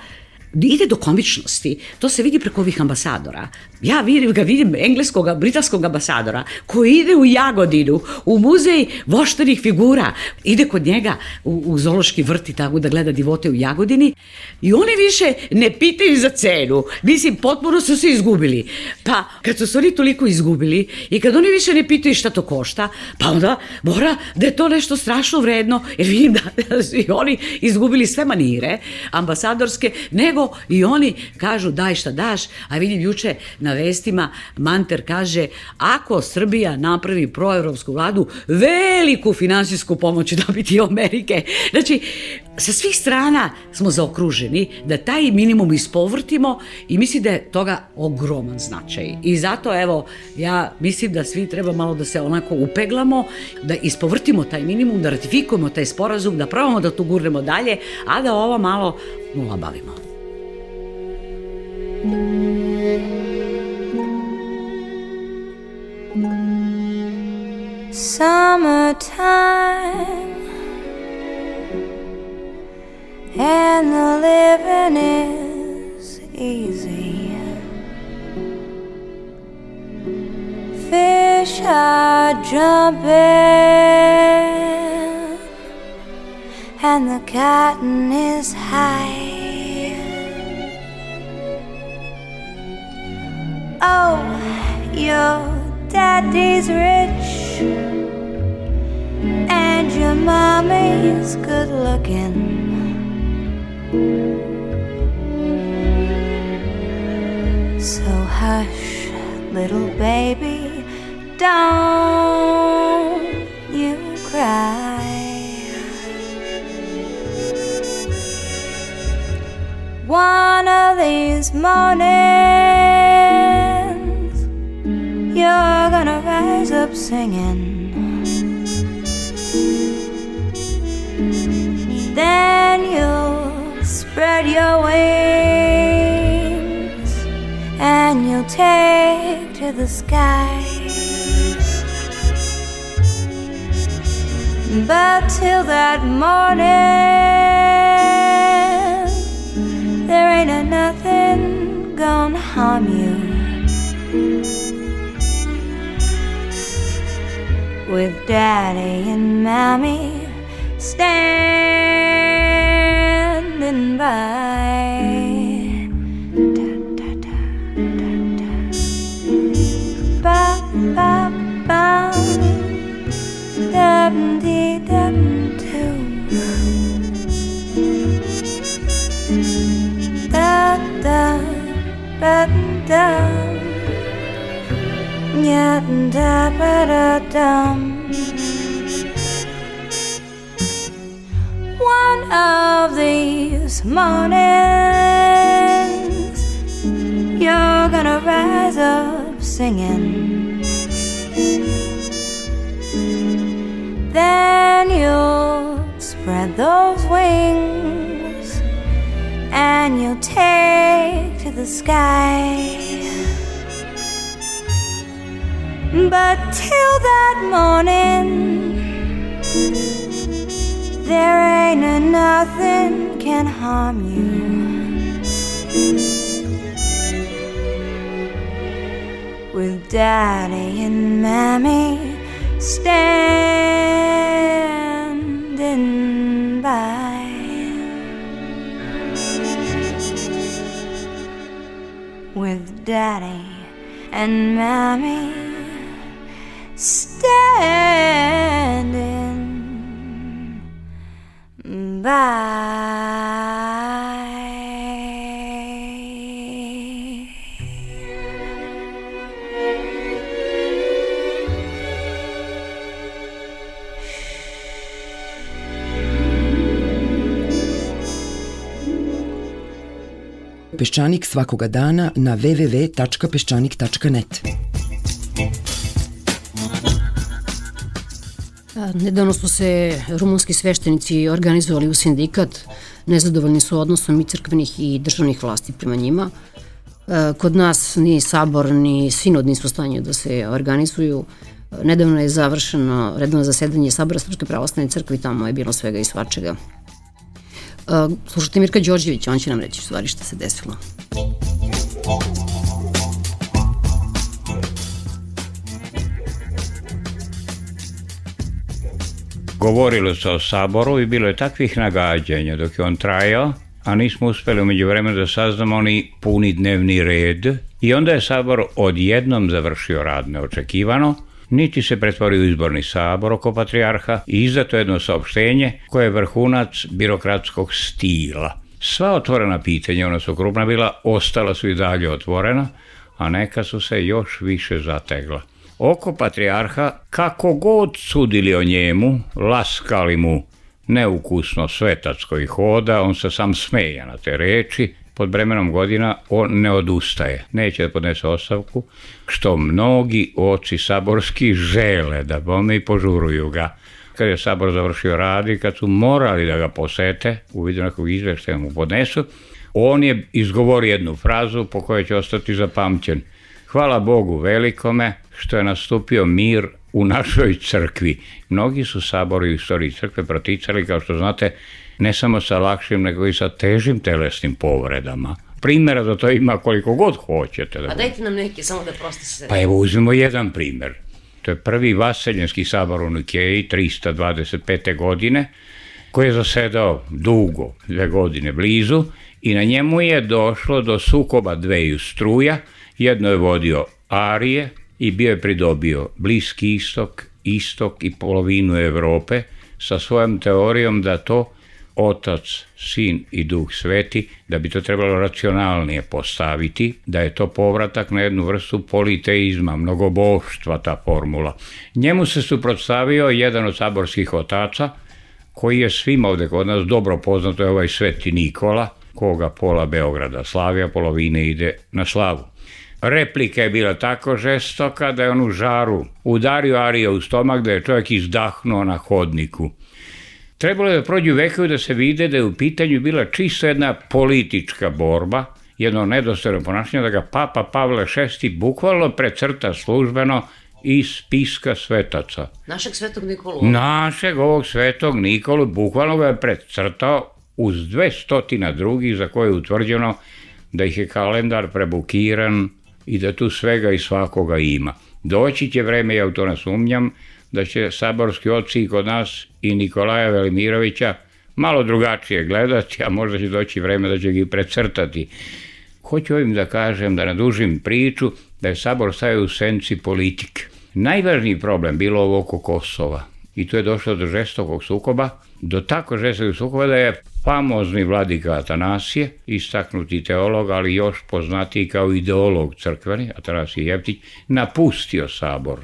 ide do komičnosti. To se vidi preko ovih ambasadora. Ja vidim engleskog, britanskog ambasadora koji ide u Jagodinu, u muzej voštanih figura, ide kod njega u zoološki vrt i tako da gleda divote u Jagodini i oni više ne pitaju za cenu. Mislim, potpuno su se izgubili. Pa, kad su se oni toliko izgubili i kad oni više ne pitaju šta to košta, pa onda mora da je to nešto strašno vredno, jer vidim da su i oni izgubili sve manire ambasadorske, nego i oni kažu daj šta daš, a vidim juče na vestima Manter kaže ako Srbija napravi proevropsku vladu, veliku finansijsku pomoć će dobiti Amerike. Znači, sa svih strana smo zaokruženi da taj minimum ispovrtimo i mislim da je toga ogroman značaj. I zato, evo, ja mislim da svi treba malo da se onako upeglamo, da ispovrtimo taj minimum, da ratifikujemo taj sporazum, da probamo da to gurnemo dalje, a da ovo malo olabavimo. Summertime and the living is easy. Fish are jumping and the cotton is high. Oh, your daddy's rich and your mommy's good looking. So hush, little baby, don't you cry. One of these mornings you're gonna rise up singing. Then you'll spread your wings and you'll take to the sky. But till that morning, there ain't a nothing gonna harm you. With Daddy and Mommy standing by. Ba ba ba, dum dee dum doo. Da da ba da, ya da ba da dum. One of these mornings you're gonna rise up singing. Then you'll spread those wings and you'll take to the sky. But till that morning, there ain't a nothing can harm you. With Daddy and Mommy standing by. With Daddy and Mommy standing by. Peščanik svakoga dana na www.peščanik.net. Nedavno su se rumunski sveštenici organizovali u sindikat. Nezadovoljni su odnosom i crkvenih i državnih vlasti prema njima. Kod nas ni sabor ni sinod nisu u stanju da se organizuju. Nedavno je završeno redovno zasedanje Sabora Srpske pravoslavne crkve i tamo je bilo svega i svačega. Slušajte Mirka Đorđevića, on će nam reći u stvari šta se desilo. Govorilo se o saboru i bilo je takvih nagađanja dok je on trajao, a nismo uspeli umeđu vremena da saznamo ni puni dnevni red i onda je sabor odjednom završio rad neočekivano, niti se pretvorio u izborni sabor oko patrijarha i izdato jedno saopštenje koje je vrhunac birokratskog stila. Sva otvorena pitanja, ona su krupna bila, ostala su i dalje otvorena, a neka su se još više zategla. Oko patrijarha, kako god sudili o njemu, laskali mu neukusno svetac koji hoda, on se sam smeja na te reči, pod bremenom godina on ne odustaje, neće da podnese ostavku, što mnogi oci saborski žele da bome i požuruju ga. Kad je sabor završio rad i kad su morali da ga posete, u vidu nekog izveštaja mu podnesu, on je izgovorio jednu frazu po kojoj će ostati zapamćen. Hvala Bogu velikome što je nastupio mir u našoj crkvi. Mnogi su sabori u istoriji crkve proticali, kao što znate, ne samo sa lakšim, nego i sa težim telesnim povredama. Primjera za to ima koliko god hoćete. A dajte nam neke, samo da prosto se... Pa evo, uzmemo jedan primjer. To je prvi Vaseljenski sabor u Nikeji 325. godine, koji je zasedao dugo, 2 godine blizu, i na njemu je došlo do sukoba dveju struja. Jedno je vodio Arije i bio je pridobio Bliski istok, istok i polovinu Evrope sa svojom teorijom da to Otac, Sin i Duh Sveti, da bi to trebalo racionalnije postaviti, da je to povratak na jednu vrstu politeizma, mnogoboštva ta formula. Njemu se suprotstavio jedan od saborskih otaca, koji je svima ovde kod nas dobro poznato, je ovaj Sveti Nikola, koga pola Beograda slavi, a polovine ide na slavu. Replika je bila tako žestoka da je on u žaru udario Arija u stomak, da je čovjek izdahnuo na hodniku. Trebalo je da prođu vekovi da se vide da je u pitanju bila čisto jedna politička borba, jedno nedostojno ponašanje, da ga Papa Pavle VI bukvalno precrta službeno iz spiska svetaca. Našeg svetog Nikolu? Našeg ovog svetog Nikolu, bukvalno ga je precrtao uz 200 drugih za koje je utvrđeno da ih je kalendar prebukiran i da tu svega i svakoga ima. Doći će vreme, ja u to ne sumnjam, da će saborski oci i kod nas i Nikolaja Velimirovića malo drugačije gledati, a možda će doći vreme da će ga i precrtati. Hoću ovim da kažem, da nadužim priču, da je sabor stavio u senci politike. Najvažniji problem bilo ovo oko Kosova i tu je došlo do žestokog sukoba, do tako žestokog sukoba da je famozni vladika Atanasije, istaknuti teolog, ali još poznatiji kao ideolog crkveni, Atanasije Jevtić, napustio sabor.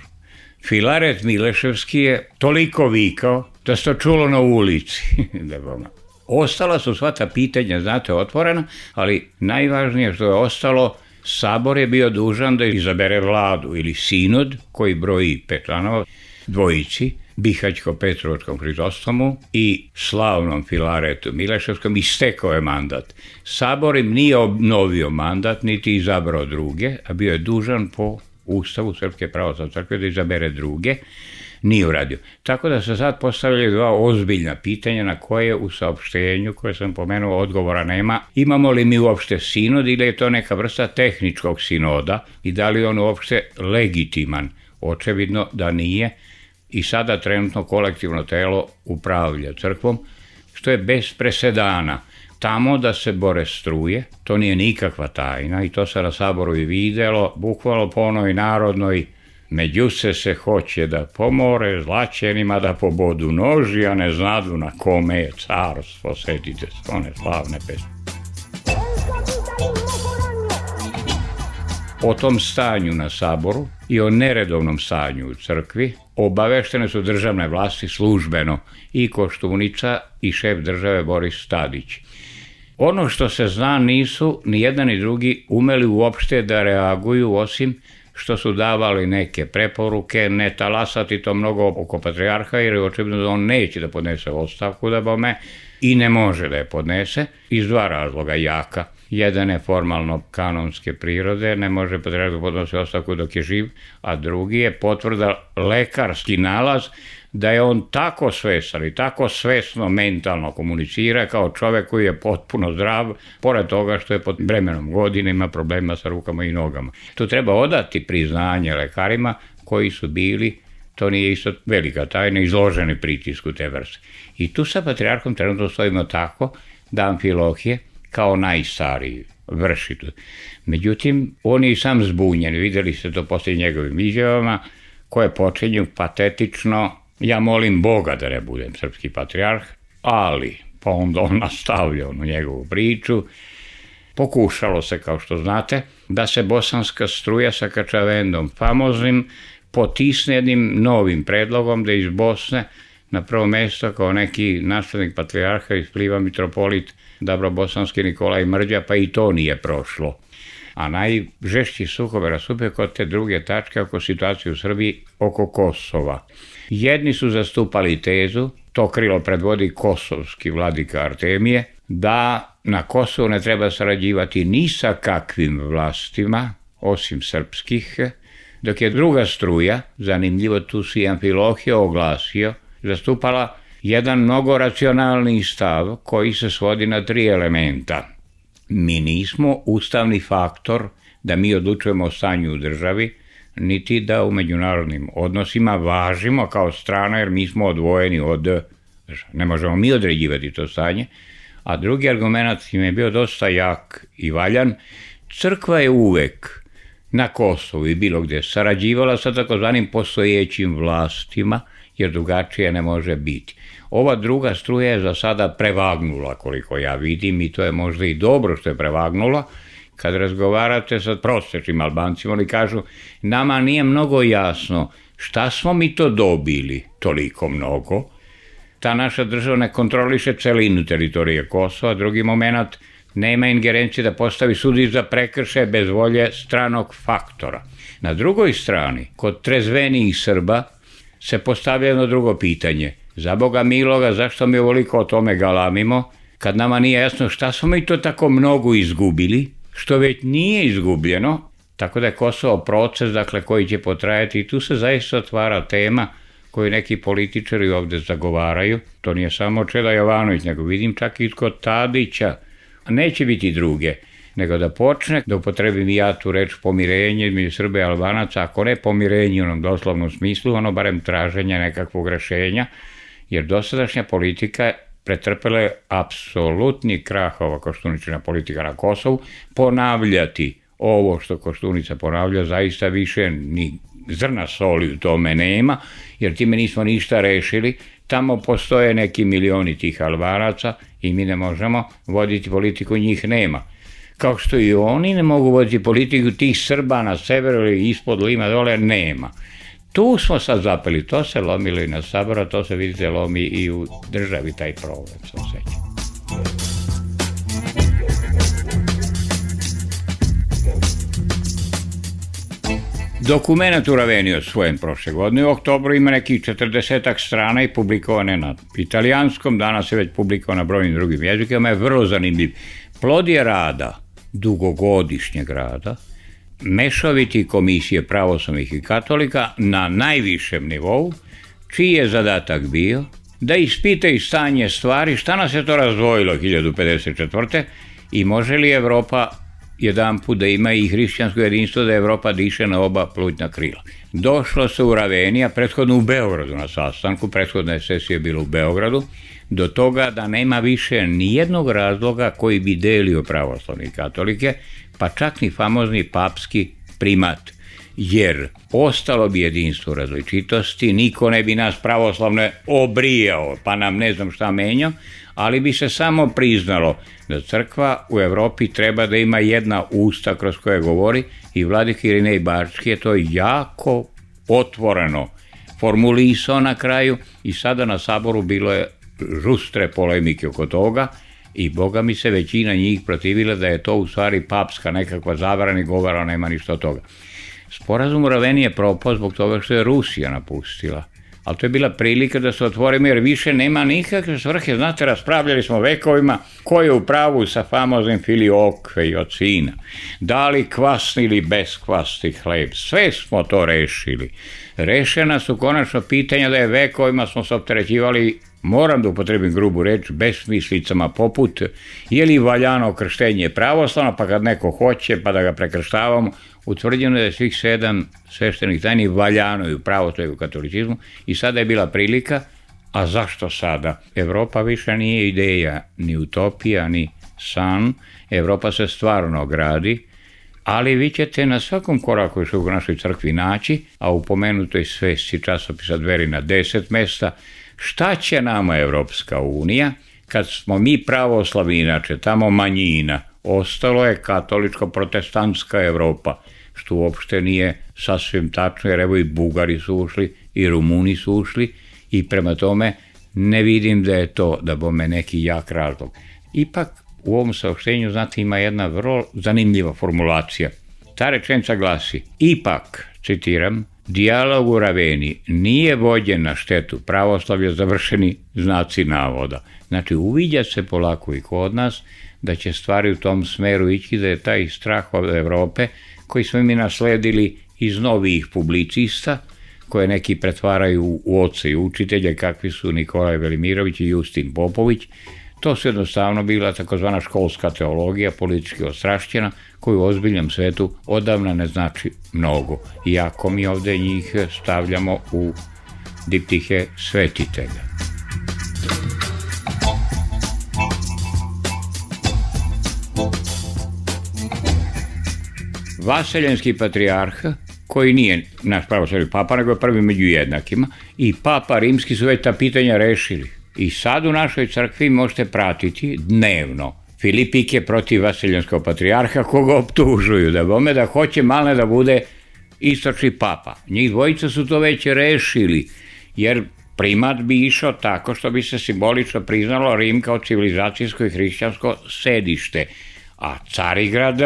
Filaret Mileševski je toliko vikao da se to čulo na ulici. Ostala su sva ta pitanja, znate, otvorena, ali najvažnije što je ostalo, sabor je bio dužan da izabere vladu ili sinod koji broji 5 članova, dvojici, Bihaćko-Petrovačkom Hrizostomu i slavnom Filaretu Mileševskom, istekao je mandat. Sabor im nije obnovio mandat, niti izabrao druge, a bio je dužan po Ustavu Srpske pravoslavne crkve da izabere druge, nije uradio. Tako da se sad postavljaju 2 ozbiljna pitanja na koje u saopštenju koje sam pomenuo odgovora nema. Imamo li mi uopšte sinod ili je to neka vrsta tehničkog sinoda i da li on uopšte legitiman? Očevidno da nije i sada trenutno kolektivno telo upravlja crkvom, što je bez presedana. Tamo da se bore struje, to nije nikakva tajna i to se na saboru i videlo, bukvalno po onoj narodnoj, međuse se hoće da pomore, zlaćenima da pobodu noži, a ne znadu na kome je carstvo, setite se one slavne pesme. O tom stanju na saboru i o neredovnom stanju u crkvi obaveštene su državne vlasti službeno i Koštunica i šef države Boris Tadić. Ono što se zna, nisu ni jedan ni drugi umeli uopšte da reaguju, osim što su davali neke preporuke, ne talasati to mnogo oko patrijarha, jer je očigledno da on neće da podnese ostavku da bome i ne može da je podnese, iz 2 razloga jaka. Jedan je formalno kanonske prirode, ne može patrijarh da podnose ostavku dok je živ, a drugi je potvrda, lekarski nalaz, da je on tako svestan i tako svesno mentalno komunicira kao čovek koji je potpuno zdrav, pored toga što je pod bremenom godine, ima problema sa rukama i nogama. Tu treba odati priznanje lekarima koji su bili, to nije isto velika tajna, izloženi pritisku te vrste. I tu sa patrijarhom trenutno stojimo tako da Amfilohije, kao najstariji, vrši tu. Međutim, on je i sam zbunjen, videli ste to poslije njegovim izjavama, koje počinju patetično: ja molim Boga da ne budem srpski patrijarh, ali, pa onda on nastavlja onu njegovu priču. Pokušalo se, kao što znate, da se bosanska struja sa Kačavendom famoznim potisne jednim novim predlogom da iz Bosne na prvo mesto kao neki naslednik patrijarha ispliva mitropolit Dabrobosanski Nikolaj Mrđa, pa i to nije prošlo. A najžešći sukob rasupio kod te druge tačke oko situacije u Srbiji oko Kosova. Jedni su zastupali tezu, to krilo predvodi kosovski vladika Artemije, da na Kosovu ne treba sarađivati ni sa kakvim vlastima, osim srpskih, dok je druga struja, zanimljivo tu si Amfilohije oglasio, zastupala jedan mnogo racionalni stav koji se svodi na 3 elementa. Mi nismo ustavni faktor da mi odlučujemo o stanju u državi, niti da u međunarodnim odnosima važimo kao strana, jer mi smo odvojeni od države. Ne možemo mi određivati to stanje. A drugi argument im je bio dosta jak i valjan. Crkva je uvek na Kosovu i bilo gde sarađivala sa takozvanim postojećim vlastima, jer drugačije ne može biti. Ova druga struja je za sada prevagnula, koliko ja vidim, i to je možda i dobro što je prevagnula. Kad razgovarate sa prosječnim Albancima, oni kažu, nama nije mnogo jasno šta smo mi to dobili toliko mnogo. Ta naša država ne kontroliše celinu teritorije Kosova. Drugi moment, nema ingerencije da postavi sudi za prekršaje bez volje stranog faktora. Na drugoj strani, kod trezvenijih Srba, se postavlja jedno drugo pitanje. Za Boga miloga, zašto mi ovoliko o tome galamimo, kad nama nije jasno šta smo mi to tako mnogo izgubili, što već nije izgubljeno, tako da je Kosovo proces, dakle, koji će potrajati, i tu se zaista otvara tema koju neki političari ovde zagovaraju. To nije samo Čeda Jovanović, nego vidim čak i kod Tadića. Neće biti druge, nego da počne, da upotrebim i ja tu reč pomirenje između Srba i Albanaca, ako ne pomirenje u onom doslovnom smislu, ono barem traženje nekakvog rešenja, jer dosadašnja politika pretrpela je apsolutni krah, ova Koštuničina politika na Kosovu. Ponavljati ovo što Koštunica ponavlja, zaista više ni zrna soli u tome nema, jer time nismo ništa rešili. Tamo postoje neki milioni tih Albanaca i mi ne možemo voditi politiku, njih nema. Kao što i oni ne mogu voditi politiku, tih Srba na severu ili ispod Lima dole nema. Tu smo sad zapeli, to se lomilo i na Saboru, to se vidite lomi i u državi, taj problem se osjeća. Dokument u Raveni osvojen prošle godine, u oktobru ima nekih 40 strana i publikovane na italijanskom, danas je već publikovan na brojnim drugim jezikama, je vrlo zanimljiv. Plod je rada, dugogodišnjeg rada, mešoviti komisije pravoslavnih i katolika na najvišem nivou, čiji je zadatak bio da ispitaju stanje stvari, šta nas je to razdvojilo 1054. i može li Evropa jedan put da ima i hrišćansko jedinstvo, da Evropa diše na oba plućna krila. Došlo se u Raveni, a prethodno u Beogradu na sastanku, prethodna sesija je bila u Beogradu, do toga da nema više nijednog razloga koji bi delio pravoslavne i katolike, pa čak ni famozni papski primat, jer ostalo bi jedinstvo različitosti, niko ne bi nas pravoslavne obrijao, pa nam ne znam šta menjao, ali bi se samo priznalo da crkva u Evropi treba da ima jedna usta kroz koje govori, i vladika Irinej Bački je to jako otvoreno formulisao na kraju, i sada na Saboru bilo je žustre polemike oko toga, i boga mi se većina njih protivila da je to u stvari papska nekakva zabrana i govora, nema ništa od toga. Sporazum u Raveni je propao zbog toga što je Rusija napustila, ali to je bila prilika da se otvorimo, jer više nema nikakve svrhe. Znate, raspravljali smo vekovima ko je u pravu sa famoznim filiokve i od sina, da li kvasni ili beskvasni hleb, sve smo to rešili. Rešena su konačno pitanja da je vekovima smo se opterećivali, moram da upotrebim grubu reč, besmislicama poput je li valjano krštenje pravoslavno, pa kad neko hoće pa da ga prekrštavamo. Utvrđeno je da svih 7 sveštenih tajni valjano i u pravoslavlju i u katolicizmu, i sada je bila prilika. A zašto sada? Evropa više nije ideja, ni utopija, ni san. Evropa se stvarno gradi, ali vi ćete na svakom koraku još u našoj crkvi naći, a u pomenutoj svesci časopisa Dveri na 10 mesta, šta će nama Evropska unija, kad smo mi pravoslavni, inače tamo manjina, ostalo je katoličko-protestantska Evropa, što uopšte nije sasvim tačno, jer evo i Bugari su ušli, i Rumuni su ušli, i prema tome ne vidim da je to, da bome neki jak razlog. Ipak u ovom saopštenju, znate, ima jedna vrlo zanimljiva formulacija. Ta rečenica glasi, ipak, citiram, dijalog u Raveni nije vođen na štetu pravoslavlja, završeni znaci navoda. Znači, uviđa se polako i kod nas da će stvari u tom smeru ići, da je taj strah od Evrope, koji smo mi nasledili iz novih publicista, koje neki pretvaraju u oce i učitelje, kakvi su Nikolaj Velimirović i Justin Popović. To su jednostavno bila takozvana školska teologija, politički ostrašćena, koju u ozbiljnom svetu odavna ne znači mnogo. Iako mi ovde njih stavljamo u diptihe svetitelja. Vaseljenski patrijarh, koji nije naš pravoslavni papa, nego je prvi među jednakima, i papa rimski su već ta pitanja rešili. I sad u našoj crkvi možete pratiti dnevno Filipike protiv Vaseljenskog patrijarha, koga optužuju da hoće malne da bude istočni papa. Njih dvojica su to već rešili, jer primat bi išao tako što bi se simbolično priznalo Rim kao civilizacijsko i hrišćansko sedište, a Carigrad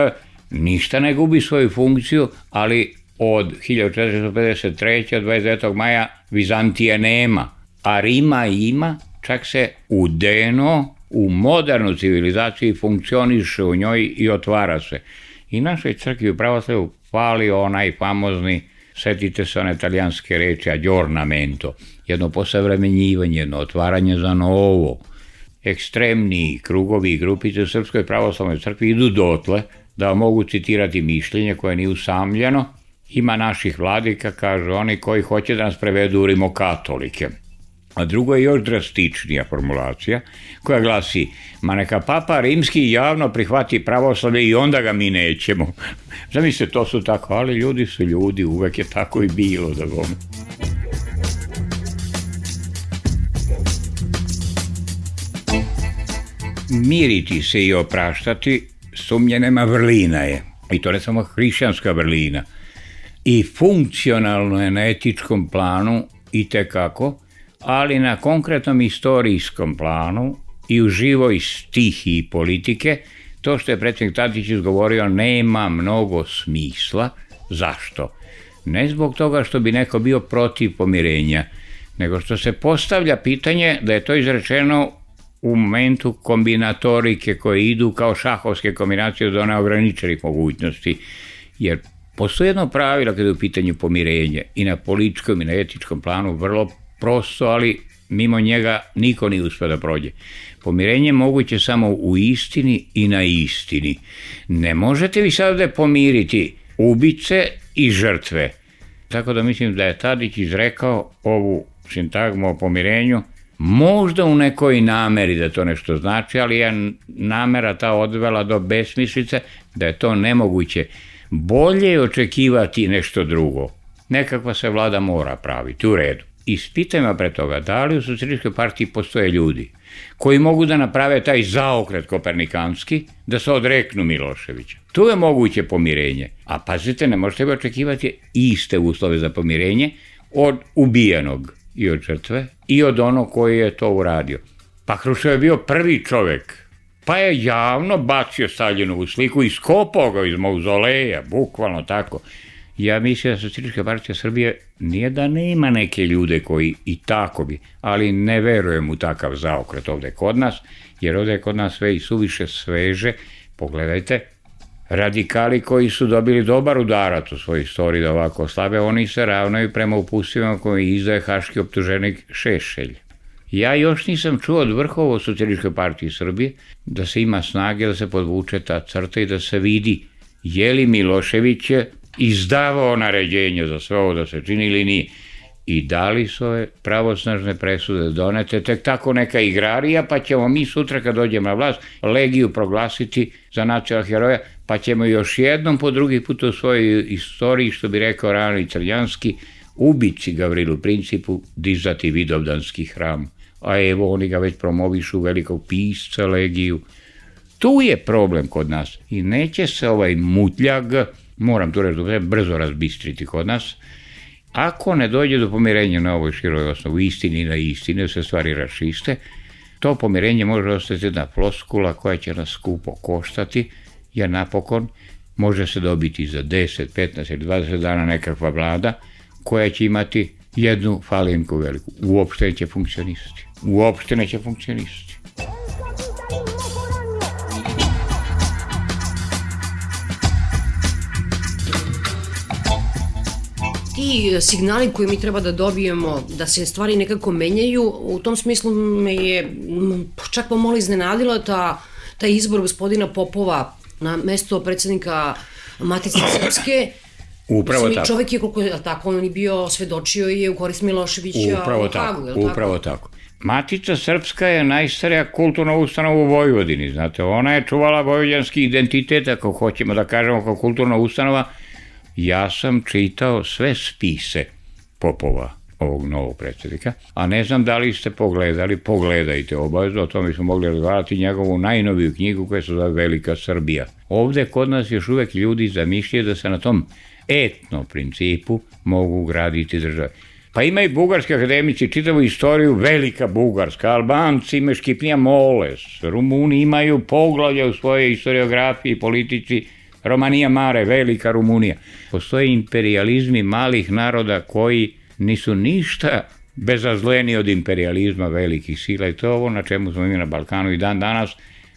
ništa ne gubi svoju funkciju, ali od 1453. od 29. maja Vizantije nema, a Rima ima, čak se udeno u modernu civilizaciju funkcioniše u njoj i otvara se. I našoj crkvi u pravoslavlju fali onaj famozni, setite se one italijanske reči aggiornamento, jedno posavremenjivanje, jedno otvaranje za novo. Ekstremni krugovi i grupice u Srpskoj pravoslavnoj crkvi idu dotle da mogu citirati mišljenje koje nije usamljeno. Ima naših vladika, kažu oni, koji hoće da nas prevedu u rimokatolike. A drugo je još drastičnija formulacija koja glasi: ma neka papa rimski javno prihvati pravoslavlje i onda ga mi nećemo. Zamislite, to su tako, ali ljudi su ljudi, uvek je tako i bilo da gome. Miriti se i opraštati sumnje nema vrlina je. I to ne samo hrišćanska vrlina. I funkcionalno je na etičkom planu i tekako, ali na konkretnom istorijskom planu i u živoj stihiji politike, to što je predsjednik Tadić izgovorio nema mnogo smisla. Zašto? Ne zbog toga što bi neko bio protiv pomirenja, nego što se postavlja pitanje da je to izrečeno u momentu kombinatorike koje idu kao šahovske kombinacije do neograničenih mogućnosti. Jer postoji jedno pravilo kada je u pitanju pomirenje i na političkom i na etičkom planu vrlo prosto, ali mimo njega niko nije uspio da prođe. Pomirenje je moguće samo u istini i na istini. Ne možete vi sad ovde pomiriti ubice i žrtve. Tako da mislim da je Tadić izrekao ovu sintagmu o pomirenju, možda u nekoj nameri da to nešto znači, ali je namera ta odvela do besmislice da je to nemoguće. Bolje je očekivati nešto drugo. Nekakva se vlada mora praviti, u redu. Ispitajmo pre toga da li u Socijalističkoj partiji postoje ljudi koji mogu da naprave taj zaokret kopernikanski, da se odreknu Miloševića. Tu je moguće pomirenje. A pazite, ne možete bi očekivati iste uslove za pomirenje od ubijenog i od žrtve i od onog koji je to uradio. Pa Hruščov je bio prvi čovek, pa je javno bacio Staljinovu sliku i skopao ga iz mauzoleja, bukvalno tako. Ja mislim da Socijalistička partija Srbije nije da nema neke ljude koji i tako bi, ali ne verujem u takav zaokret ovde kod nas, jer ovde je kod nas sve i suviše sveže. Pogledajte, radikali koji su dobili dobar udarac u svojoj istoriji da ovako slabe, oni se ravnaju prema upustvima koji izdaje haški optuženik Šešelj. Ja još nisam čuo od vrhova u Socijalističkoj partiji Srbije da se ima snage da se podvuče ta crta i da se vidi je li Milošević izdavao naređenje za sve ovo da se čini ili nije. I da li su ove pravosnažne presude donete tek tako neka igrarija, pa ćemo mi sutra kad dođemo na vlast Legiju proglasiti za nacionalnog heroja, pa ćemo još jednom po drugi put u svojoj istoriji, što bi rekao Rani Crljanski, ubici Gavrilu Principu dizati Vidovdanski hram. A evo oni ga već promovišu, velikog pisca Legiju. Tu je problem kod nas i neće se ovaj mutljag, moram tu reći, brzo razbistriti kod nas, ako ne dođe do pomirenja na ovoj široj osnovu istini i na istini, da se stvari raščiste, to pomirenje može ostati jedna floskula koja će nas skupo koštati, jer napokon može se dobiti za 10, 15 ili 20 dana nekakva vlada koja će imati jednu falinku veliku. Uopšte neće funkcionisati. Uopšte neće funkcionisati. ti signali koje mi treba da dobijemo, da se stvari nekako menjaju, u tom smislu me je čak pomalo iznenadila taj izbor gospodina Popova na mesto predsednika Matice Srpske. Upravo tako. Čovek je, koliko je tako, on je bio, svedočio je u korist Miloševića u Hagu, je li tako? Upravo tako. Matica Srpska je najstarija kulturna ustanova u Vojvodini, znate, ona je čuvala vojvođanski identitet, ako hoćemo da kažemo kao kulturna ustanova. Ja sam čitao sve spise Popova, ovog novog predsjednika, a ne znam da li ste pogledali, pogledajte obavezno, o tome smo mogli razgovarati njegovu najnoviju knjigu koja se zove Velika Srbija. Ovde kod nas još uvek ljudi zamišljaju da se na tom etno principu mogu graditi države. Pa ima i bugarski akademici, čitavu istoriju, Velika Bugarska, Albanci imaju Škipnija Moles, Rumuni imaju poglavlja u svojoj historiografiji i politici, Romanija Mare, Velika Rumunija. Postoje imperializmi malih naroda koji nisu ništa bezazleni od imperializma velikih sila i to je ovo na čemu smo mi na Balkanu i dan danas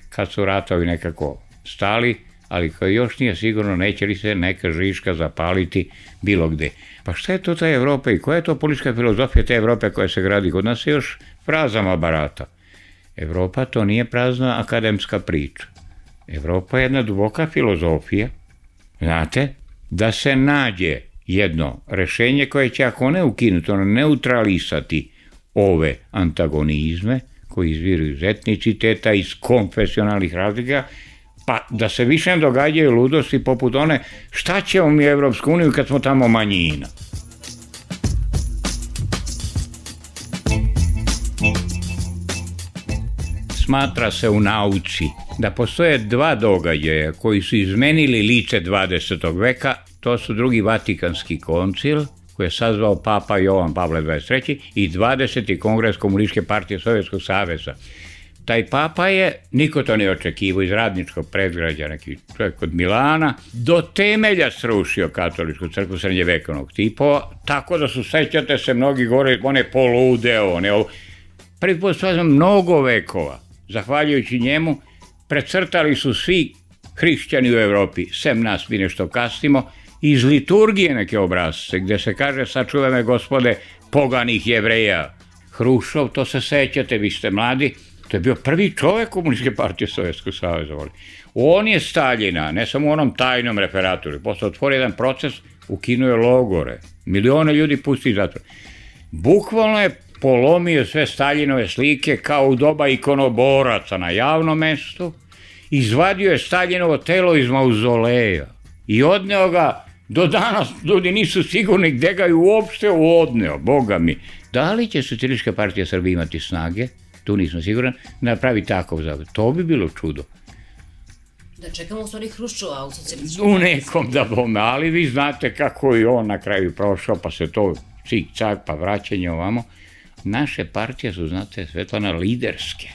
kad su ratovi nekako stali, ali koji još nije sigurno neće li se neka žiška zapaliti bilo gde. Pa šta je to ta Evropa i koja je to politička filozofija te Evrope koja se gradi? Kod nas je još frazama barata. Evropa to nije prazna akademska priča. Evropa je jedna duboka filozofija, znate, da se nađe jedno rešenje koje će, ako ne ukinuti, ono neutralisati ove antagonizme koji izviru iz etniciteta, iz konfesionalnih razlika, pa da se više ne događaju ludosti poput one šta ćemo mi Evropsku uniju kad smo tamo manjina. Smatra se u nauci da postoje dva događaja koji su izmenili lice 20. veka, to su drugi Vatikanski koncil, koji je sazvao Papa Jovan Pavle XXIII i 20. kongres Komunističke partije Sovjetskog saveza. Taj papa je, niko to ne očekivao, iz radničkog predgrađa, neki čovjek od Milana, do temelja srušio katoličku crkvu srednjevekovnog tipa, tako da su, sećate se, mnogi gore, one poludeo, prvi put svađam mnogo vekova, zahvaljujući njemu, precrtali su svi hrišćani u Evropi, sem nas, mi nešto kasnimo, iz liturgije neke obrazce, gde se kaže, sačuvaj me gospode, poganih Jevreja. Hrušov, to se sećate, vi ste mladi, to je bio prvi čovek Komunističke partije Sovjetskog saveza. On je Staljina, ne samo u onom tajnom referatu, posle otvorio jedan proces, ukinuo je logore, milione ljudi pusti iz zatvora. Bukvalno je polomio sve Staljinove slike kao u doba ikonoboraca na javnom mestu, izvadio je Staljinovo telo iz mauzoleja i odneo ga, do danas ljudi nisu sigurni gde ga je uopšte odneo, boga mi. Da li će Socijalistička partija Srbije imati snage, tu nisam siguran, da pravi takav zavod? To bi bilo čudo. Da čekamo u stvari Hruščova u socijalističkom. U nekom da bome, ali vi znate kako je on na kraju prošao, pa se to cik-cak, pa vraćanje ovamo. Naše partije su, znate, Svetlana, liderske.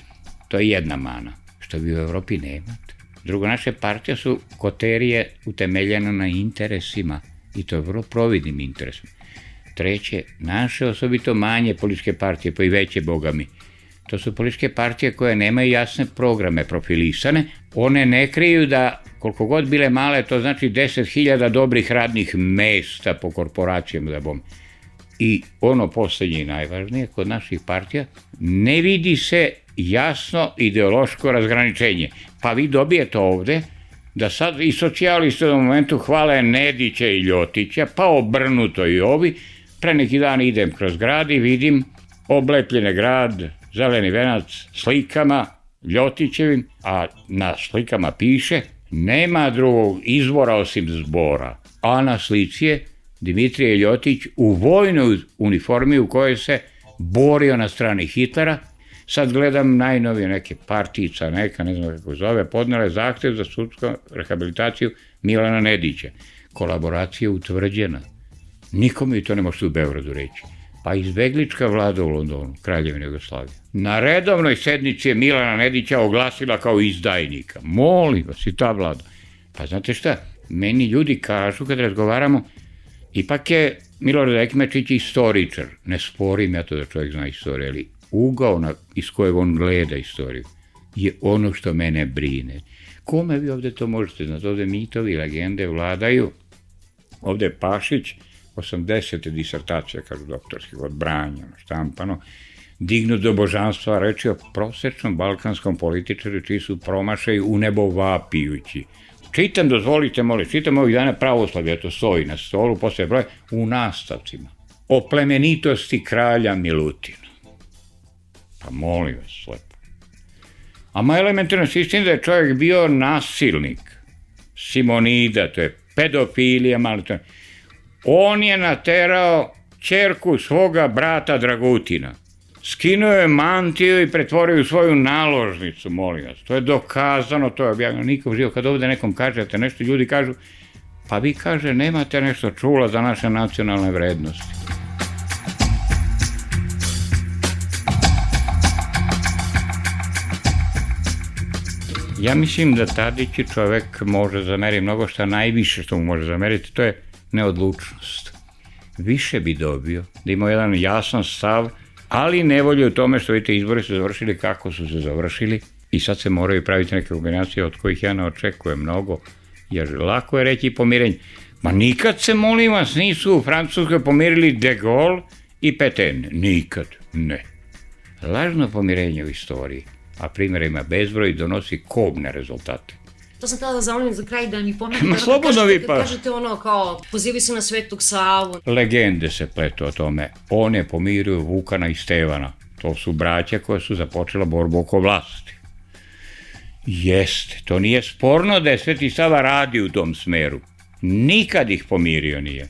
To je jedna mana, što vi u Evropi nemate. Drugo, naše partije su koterije utemeljene na interesima i to je vrlo providnim interesima. Treće, naše osobito manje političke partije, pa i veće, boga mi, to su političke partije koje nemaju jasne programe profilisane, one ne kriju da, koliko god bile male, to znači 10.000 dobrih radnih mesta po korporacijama da bom. I ono poslednje i najvažnije, kod naših partija, ne vidi se jasno ideološko razgraničenje. Pa vi dobijete ovde da sad i socijalisti u momentu hvale Nedića i Ljotića, pa obrnuto i ovi. Pre neki dan idem kroz grad i vidim oblepljene grad, zeleni venac, slikama Ljotićevim, a na slikama piše nema drugog izvora osim zbora. A na slici je Dimitrije Ljotić u vojnoj uniformi u kojoj se borio na strani Hitlera. Sad gledam najnovije neke partijica, neka, ne znam kako zove, podnele zahtev za sudsku rehabilitaciju Milana Nedića. Kolaboracija utvrđena. Nikome i to ne možete u Beogradu reći. Pa izbeglička vlada u Londonu, Kraljevine Jugoslavije, na redovnoj sednici je Milana Nedića oglasila kao izdajnika. Molim vas, i ta vlada. Pa znate šta, meni ljudi kažu kad razgovaramo, ipak je Milorad Ekmečić istoričar. Ne sporim ja to da čovjek zna istoriju, ali ugao iz kojeg on gleda istoriju je ono što mene brine. Kome vi ovde to možete znati? Ovde mitovi i legende vladaju. Ovde Pašić 80 disertacija, kažu doktorskih, odbranjeno, štampano, dignut do božanstva, reči o prosečnom balkanskom političaru čiji su promašaj u nebo vapijući. Čitam, dozvolite, molim, čitam ovih dana pravoslavlje, to stoji na stolu, posle broje, u nastavcima. O plemenitosti kralja Milutina. Pa molim vas, lepo. A elementarno se istina da je čovjek bio nasilnik. Simonida, to je pedofilija, malo to. On je naterao ćerku svoga brata Dragutina. Skinuo je mantiju i pretvorio u svoju naložnicu, molim vas. To je dokazano, to je objavljeno. Nikom živo, kad ovde nekom kažete nešto, ljudi kažu, pa vi kaže, nemate nešto čula za naše nacionalne vrednosti. Ja mislim da Tadić čovek može zameriti mnogo, šta najviše što mu može zameriti, to je neodlučnost. Više bi dobio da ima jedan jasan stav, ali nevolje u tome što vidite izbori su završili kako su se završili i sad se moraju praviti neke kombinacije od kojih ja ne očekujem mnogo, jer lako je reći pomirenje. Ma nikad se, molim vas, nisu u Francuskoj pomirili De Gaulle i Pétain. Nikad, ne. Lažno pomirenje u istoriji, a primjera ima bezbroj, donosi kobne rezultate. To sam htjela da zamolim za kraj da mi pomenete. Ma slobodno vi pa. Kažete ono kao, pozivaju se na Svetog Savu. Legende se pletu o tome. On je pomirio Vukana i Stevana. To su braća koja su započela borbu oko vlasti. Jeste, to nije sporno da je Sveti Sava radi u tom smeru. Nikad ih pomirio nije.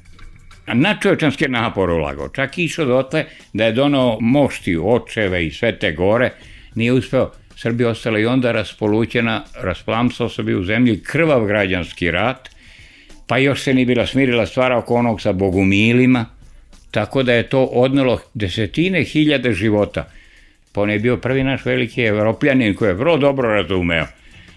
A nadčovečanske napore ulagao. Čak išao dotle da je donao moštiju, očeve i Svete Gore. Nije uspeo. Srbija ostala i onda raspolućena, rasplamsao se bio u zemlji krvav građanski rat, pa još se nije bila smirila stvara oko onog sa bogumilima, tako da je to odnelo desetine hiljade života. Pa on je bio prvi naš veliki evropljanin koji je vrlo dobro razumeo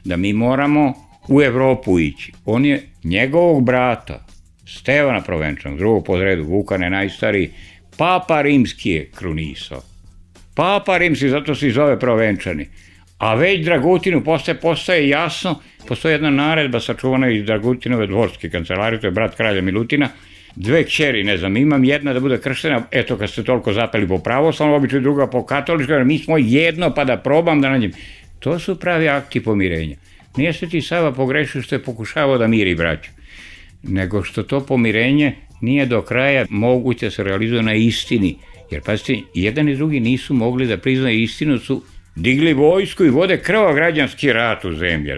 da mi moramo u Evropu ići. On je njegovog brata, Stevana Provenčanog, drugog po redu, Vukan je najstariji, Papa Rimski je krunisao. Papa Rimski, zato se i zove Provenčani. A već Dragutinu postaje jasno, postoji jedna naredba sačuvana iz Dragutinove dvorske kancelarije, to je brat kralja Milutina, dve kćeri, ne znam, imam jedna da bude krštena, eto kad ste toliko zapeli po pravoslavnom običaju, druga po katoličkoj, mi smo jedno pa da probam da nađem. To su pravi akti pomirenja. Nije Sveti Sava pogrešio što je pokušavao da miri braću, nego što to pomirenje nije do kraja moguće da se realizuje na istini. Jer, pazite, jedan i drugi nisu mogli da priznaju istinu, su digli vojsku i vode krvav građanski rat u zemlji.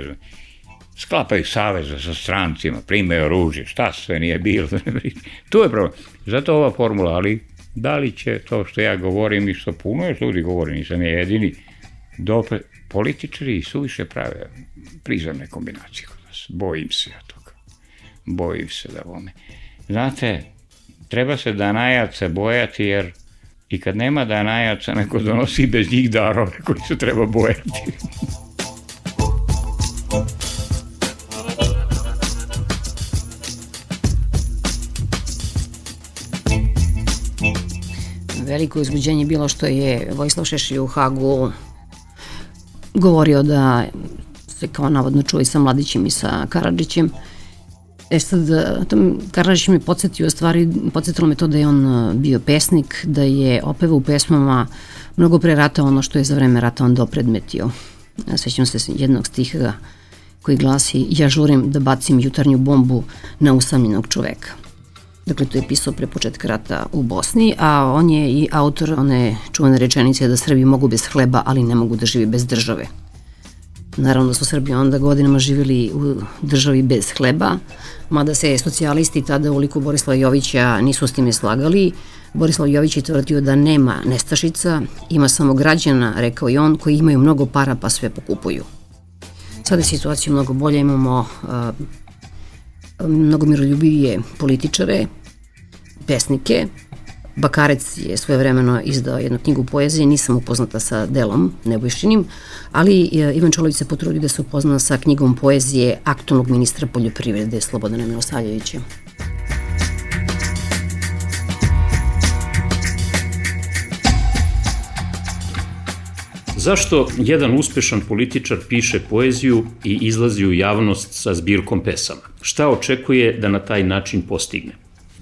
Sklapaju saveza sa strancima, primaju oružje, šta sve nije bilo. Tu je problem. Zato ova formula, ali da li će to što ja govorim i što puno još ljudi govori, nisam je jedini, političari i suviše prave prizemne kombinacije kod nas. Bojim se ja toga. Bojim se da vome. Znate, treba se danajaca bojati jer i kad nema danajaca, neko donosi bez njih darove koji se treba bojati. Veliko uzbuđenje bilo što je Vojislav Šešelj u Hagu govorio da se kao navodno čuje sa Mladićem i sa Karadžićem. Sad, Karadžić me podsjetio, stvari, podsjetilo me to da je on bio pesnik, da je opevao u pesmama mnogo pre rata ono što je za vreme rata on dopredmetio. Sećam se jednog stiha koji glasi: ja žurim da bacim jutarnju bombu na usamljenog čoveka. Dakle, to je pisao pre početka rata u Bosni, a on je i autor one čuvene rečenice da Srbi mogu bez hleba, ali ne mogu da živi bez države. Naravno da su Srbi onda godinama živjeli u državi bez hleba, mada se socijalisti tada u liku Borislava Jovića nisu s time slagali. Borislav Jović je tvrdio da nema nestašica, ima samo građana, rekao i on, koji imaju mnogo para pa sve pokupuju. Sada je situacija mnogo bolja, imamo mnogo miroljubivije političare, pesnike. Bakarec je svojevremeno izdao jednu knjigu poezije, nisam upoznata sa delom Nebojšinim, ali Ivan Čolović se potrudio da se upozna sa knjigom poezije aktualnog ministra poljoprivrede Slobodana Milosavljevića. Zašto jedan uspešan političar piše poeziju i izlazi u javnost sa zbirkom pesama? Šta očekuje da na taj način postigne?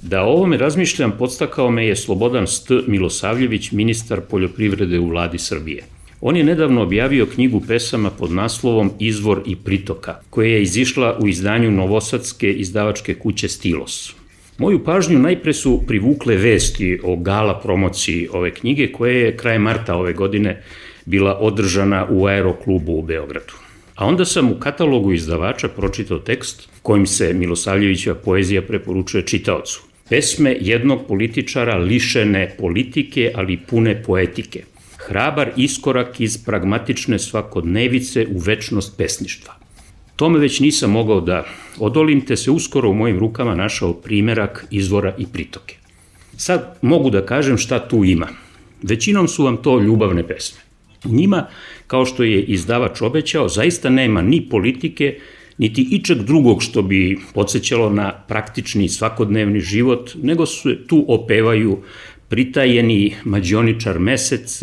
Da o ovome razmišljam podstakao me je Slobodan St. Milosavljević, ministar poljoprivrede u vladi Srbije. On je nedavno objavio knjigu pesama pod naslovom Izvor i pritoka, koja je izišla u izdanju novosadske izdavačke kuće Stilos. Moju pažnju najpre su privukle vesti o gala promociji ove knjige, koja je krajem marta ove godine bila održana u Aeroklubu u Beogradu. A onda sam u katalogu izdavača pročitao tekst kojim se Milosavljevićeva poezija preporučuje čitaocu. Pesme jednog političara lišene politike, ali pune poetike. Hrabar iskorak iz pragmatične svakodnevice u večnost pesništva. Tome već nisam mogao da odolim, te se uskoro u mojim rukama našao primerak Izvora i pritoke. Sad mogu da kažem šta tu ima. Većinom su vam to ljubavne pesme. U njima, kao što je izdavač obećao, zaista nema ni politike, niti ičeg drugog što bi podsjećalo na praktični svakodnevni život, nego se tu opevaju pritajeni mađioničar mesec,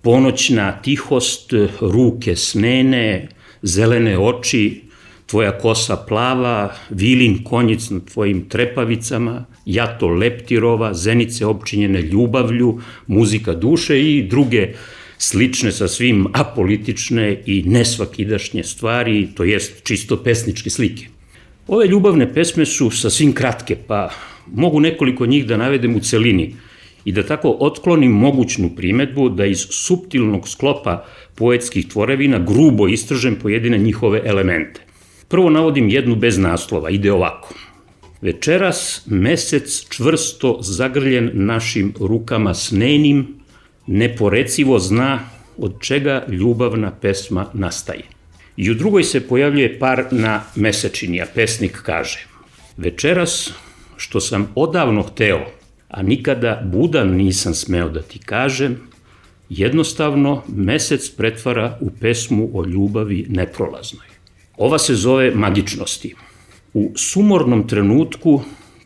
ponoćna tihost, ruke snene, zelene oči, tvoja kosa plava, vilin konjic na tvojim trepavicama, jato leptirova, zenice opčinjene ljubavlju, muzika duše i druge slične sa svim apolitične i nesvakidašnje stvari, to jest čisto pesničke slike. Ove ljubavne pesme su sasvim kratke, pa mogu nekoliko njih da navedem u celini i da tako otklonim mogućnu primetbu da iz suptilnog sklopa poetskih tvorevina grubo istržem pojedine njihove elemente. Prvo navodim jednu bez naslova, ide ovako. Večeras mesec čvrsto zagrljen našim rukama snenim, neporecivo zna od čega ljubavna pesma nastaje. I u drugoj se pojavljuje par na mesečini, a pesnik kaže: večeras što sam odavno hteo, a nikada budan nisam smeo da ti kažem, jednostavno mesec pretvara u pesmu o ljubavi neprolaznoj. Ova se zove Magičnosti. U sumornom trenutku,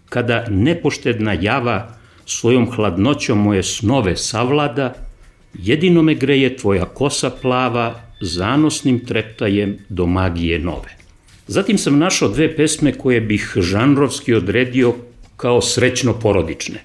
kada nepoštedna java svojom hladnoćom moje snove savlada, jedino me greje tvoja kosa plava, zanosnim treptajem do magije nove. Zatim sam našao dve pesme koje bih žanrovski odredio kao srećno porodične.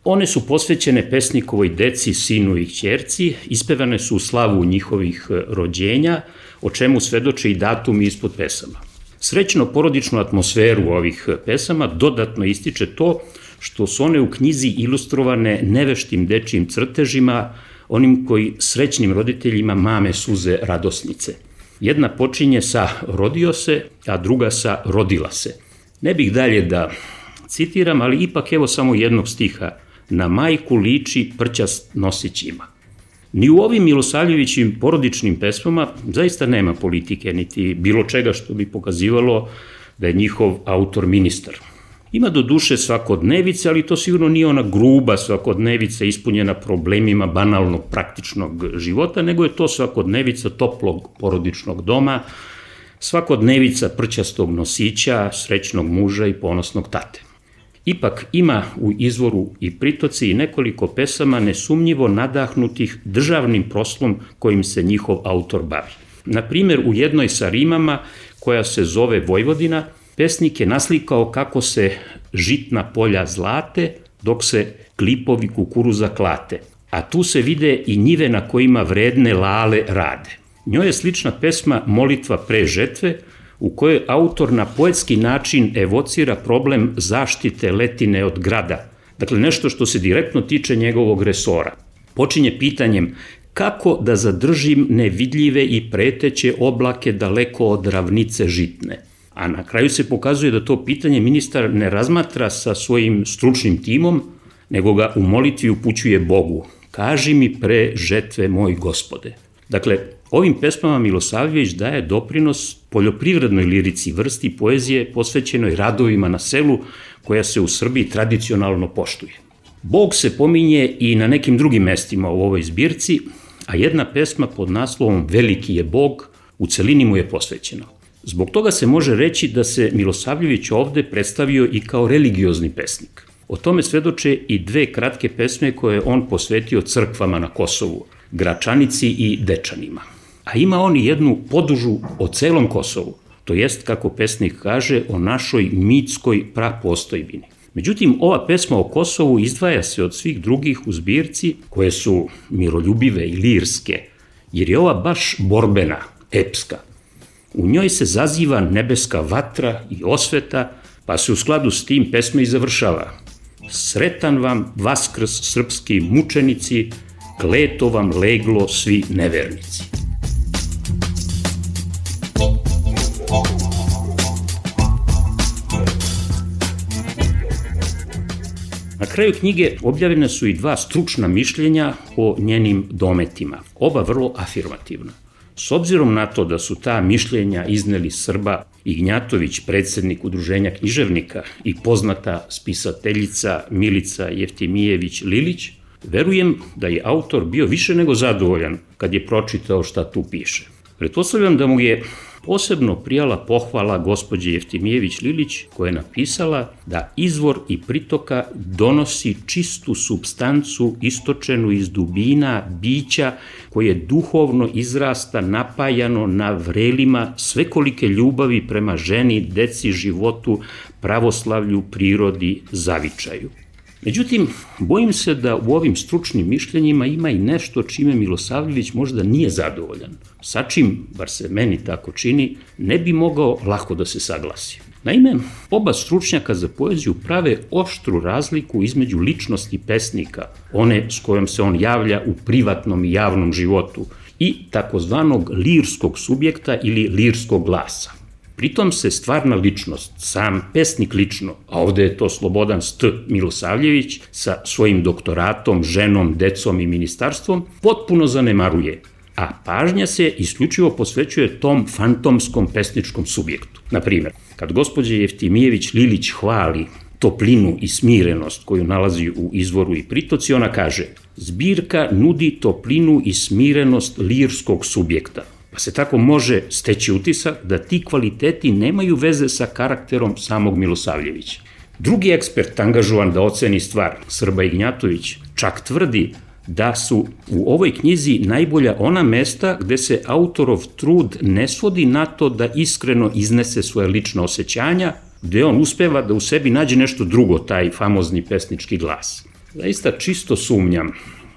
One su posvećene pesnikovoj deci, sinu i ćerci, ispevane su u slavu njihovih rođenja, o čemu svedoče i datumi ispod pesama. Srećno porodičnu atmosferu ovih pesama dodatno ističe to što su one u knjizi ilustrovane neveštim dečijim crtežima, onim koji srećnim roditeljima mame suze radosnice. Jedna počinje sa rodio se, a druga sa rodila se. Ne bih dalje da citiram, ali ipak evo samo jednog stiha. Na majku liči prćast nosić ima. Ni u ovim Milosavljevićim porodičnim pesmama zaista nema politike, niti bilo čega što bi pokazivalo da je njihov autor ministar. Ima do duše svakodnevice, ali to sigurno nije ona gruba svakodnevica ispunjena problemima banalnog praktičnog života, nego je to svakodnevica toplog porodičnog doma, svakodnevica prćastog nosića, srećnog muža i ponosnog tate. Ipak ima u Izvoru i pritoci i nekoliko pesama nesumnjivo nadahnutih državnim proslom kojim se njihov autor bavi. Na primjer, u jednoj sa rimama, koja se zove Vojvodina, pesnik je naslikao kako se žitna polja zlate, dok se klipovi kukuruza klate, a tu se vide i njive na kojima vredne lale rade. Njoj je slična pesma Molitva pre žetve, u kojoj autor na poetski način evocira problem zaštite letine od grada, dakle nešto što se direktno tiče njegovog resora. Počinje pitanjem kako da zadržim nevidljive i preteće oblake daleko od ravnice žitne. A na kraju se pokazuje da to pitanje ministar ne razmatra sa svojim stručnim timom, nego ga u molitvi upućuje Bogu. Kaži mi pre žetve moj Gospode. Dakle, ovim pesmama Milosavljević daje doprinos poljoprivrednoj lirici, vrsti poezije posvećenoj radovima na selu, koja se u Srbiji tradicionalno poštuje. Bog se pominje i na nekim drugim mestima u ovoj zbirci, a jedna pesma pod naslovom Veliki je Bog u celini mu je posvećena. Zbog toga se može reći da se Milosavljević ovde predstavio i kao religiozni pesnik. O tome svedoče i dve kratke pesme koje on posvetio crkvama na Kosovu, Gračanici i Dečanima. A ima on i jednu podužu o celom Kosovu, to jest, kako pesnik kaže, o našoj mitskoj prapostojbini. Međutim, ova pesma o Kosovu izdvaja se od svih drugih u zbirci koje su miroljubive i lirske, jer je ova baš borbena, epska. U njoj se zaziva nebeska vatra i osveta, pa se u skladu s tim pesma i završava. Sretan vam Vaskrs srpski mučenici, kleto vam leglo svi nevernici. Na kraju knjige objavljene su i 2 stručna mišljenja o njenim dometima, oba vrlo afirmativna. S obzirom na to da su ta mišljenja izneli Srba Ignjatović, predsednik Udruženja književnika, i poznata spisateljica Milica Jeftimijević-Lilić, verujem da je autor bio više nego zadovoljan kad je pročitao šta tu piše. Pretpostavljam da mu je posebno prijala pohvala gospođe Jeftimijević-Lilić, koja je napisala da izvor i pritoka donosi čistu supstancu istočenu iz dubina bića koje duhovno izrasta napajano na vrelima svekolike ljubavi prema ženi, deci, životu, pravoslavlju, prirodi, zavičaju. Međutim, bojim se da u ovim stručnim mišljenjima ima i nešto čime Milosavljević možda nije zadovoljan. Sa čim, bar se meni tako čini, ne bi mogao lako da se saglasi. Naime, oba stručnjaka za poeziju prave oštru razliku između ličnosti pesnika, one s kojom se on javlja u privatnom i javnom životu, i takozvanog lirskog subjekta ili lirskog glasa. Pritom se stvarna ličnost, sam pesnik lično, a ovde je to Slobodan St. Milosavljević sa svojim doktoratom, ženom, decom i ministarstvom, potpuno zanemaruje, a pažnja se isključivo posvećuje tom fantomskom pesničkom subjektu. Naprimjer, kad gospođa Jeftimijević-Lilić hvali toplinu i smirenost koju nalazi u izvoru i pritoci, ona kaže: zbirka nudi toplinu i smirenost lirskog subjekta. Pa se tako može steći utisak da ti kvaliteti nemaju veze sa karakterom samog Milosavljevića. Drugi ekspert angažovan da oceni stvar, Srba Ignjatović, čak tvrdi da su u ovoj knjizi najbolja ona mesta gde se autorov trud ne svodi na to da iskreno iznese svoje lična osjećanja, gde on uspeva da u sebi nađe nešto drugo, taj famozni pesnički glas. Zaista čisto sumnjam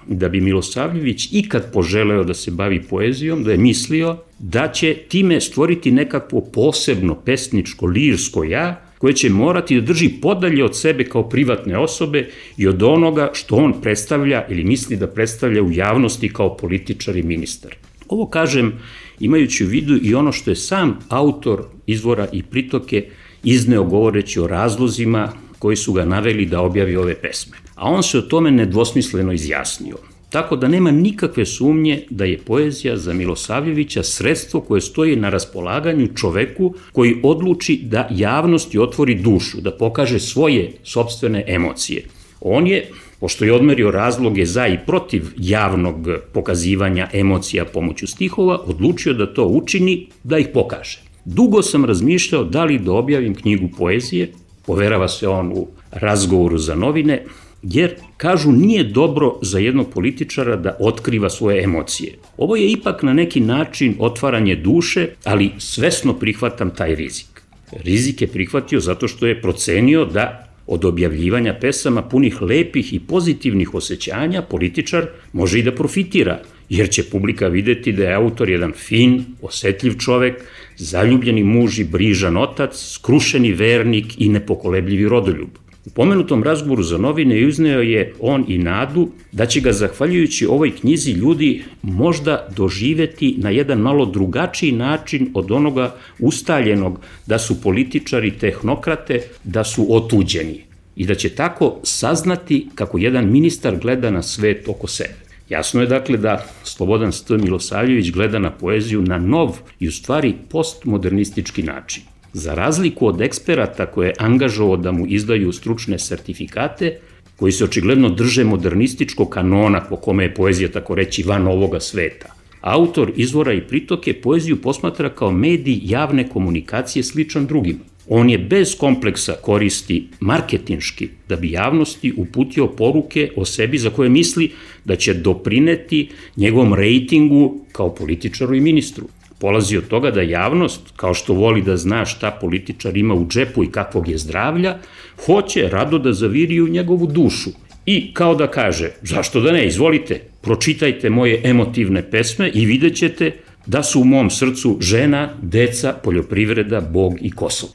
da bi Milosavljević ikad poželeo da se bavi poezijom, da je mislio da će time stvoriti nekakvo posebno pesničko, lirsko ja, koje će morati da drži podalje od sebe kao privatne osobe i od onoga što on predstavlja ili misli da predstavlja u javnosti kao političar i ministar. Ovo kažem imajući u vidu i ono što je sam autor izvora i pritoke izneo govoreći o razlozima koji su ga naveli da objavi ove pesme. A on se o tome nedvosmisleno izjasnio. Tako da nema nikakve sumnje da je poezija za Milosavljevića sredstvo koje stoji na raspolaganju čoveku koji odluči da javnosti otvori dušu, da pokaže svoje sopstvene emocije. On je, pošto je odmerio razloge za i protiv javnog pokazivanja emocija pomoću stihova, odlučio da to učini, da ih pokaže. Dugo sam razmišljao da li da objavim knjigu poezije, poverava se on u razgovoru za novine, jer, kažu, nije dobro za jednog političara da otkriva svoje emocije. Ovo je ipak na neki način otvaranje duše, ali svesno prihvatam taj rizik. Rizik je prihvatio zato što je procenio da od objavljivanja pesama punih lepih i pozitivnih osjećanja političar može i da profitira, jer će publika videti da je autor jedan fin, osetljiv čovek, zaljubljeni muž i brižan otac, skrušeni vernik i nepokolebljivi rodoljub. U pomenutom razgovoru za novine izneo je on i nadu da će ga, zahvaljujući ovoj knjizi, ljudi možda doživeti na jedan malo drugačiji način od onoga ustaljenog da su političari tehnokrate, da su otuđeni i da će tako saznati kako jedan ministar gleda na svet oko sebe. Jasno je dakle da Slobodan St. Milosavljević gleda na poeziju na nov i u stvari postmodernistički način. Za razliku od eksperata koje je angažovao da mu izdaju stručne sertifikate, koji se očigledno drže modernističkog kanona po kome je poezija tako reći van ovoga sveta, autor izvora i pritoke poeziju posmatra kao medij javne komunikacije sličan drugima. On je bez kompleksa koristi marketinški da bi javnosti uputio poruke o sebi za koje misli da će doprineti njegovom rejtingu kao političaru i ministru. polazi od toga da javnost, kao što voli da zna šta političar ima u džepu i kakvog je zdravlja, hoće rado da zaviri u njegovu dušu. I kao da kaže, zašto da ne, izvolite, pročitajte moje emotivne pesme i vidjet ćete da su u mom srcu žena, deca, poljoprivreda, Bog i Kosovo.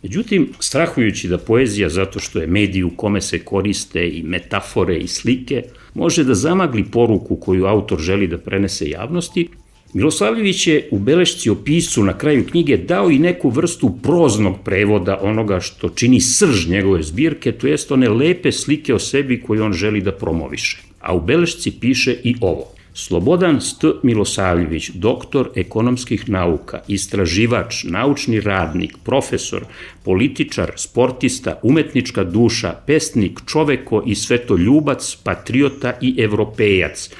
Međutim, strahujući da poezija, zato što je medij u kome se koriste i metafore i slike, može da zamagli poruku koju autor želi da prenese javnosti, Milosavljević je u belešci o piscu na kraju knjige dao i neku vrstu proznog prevoda onoga što čini srž njegove zbirke, to jest one lepe slike o sebi koje on želi da promoviše. A u belešci piše i ovo. Slobodan St. Milosavljević, doktor ekonomskih nauka, istraživač, naučni radnik, profesor, političar, sportista, umetnička duša, pesnik, čoveko i svetoljubac, patriota i evropejac,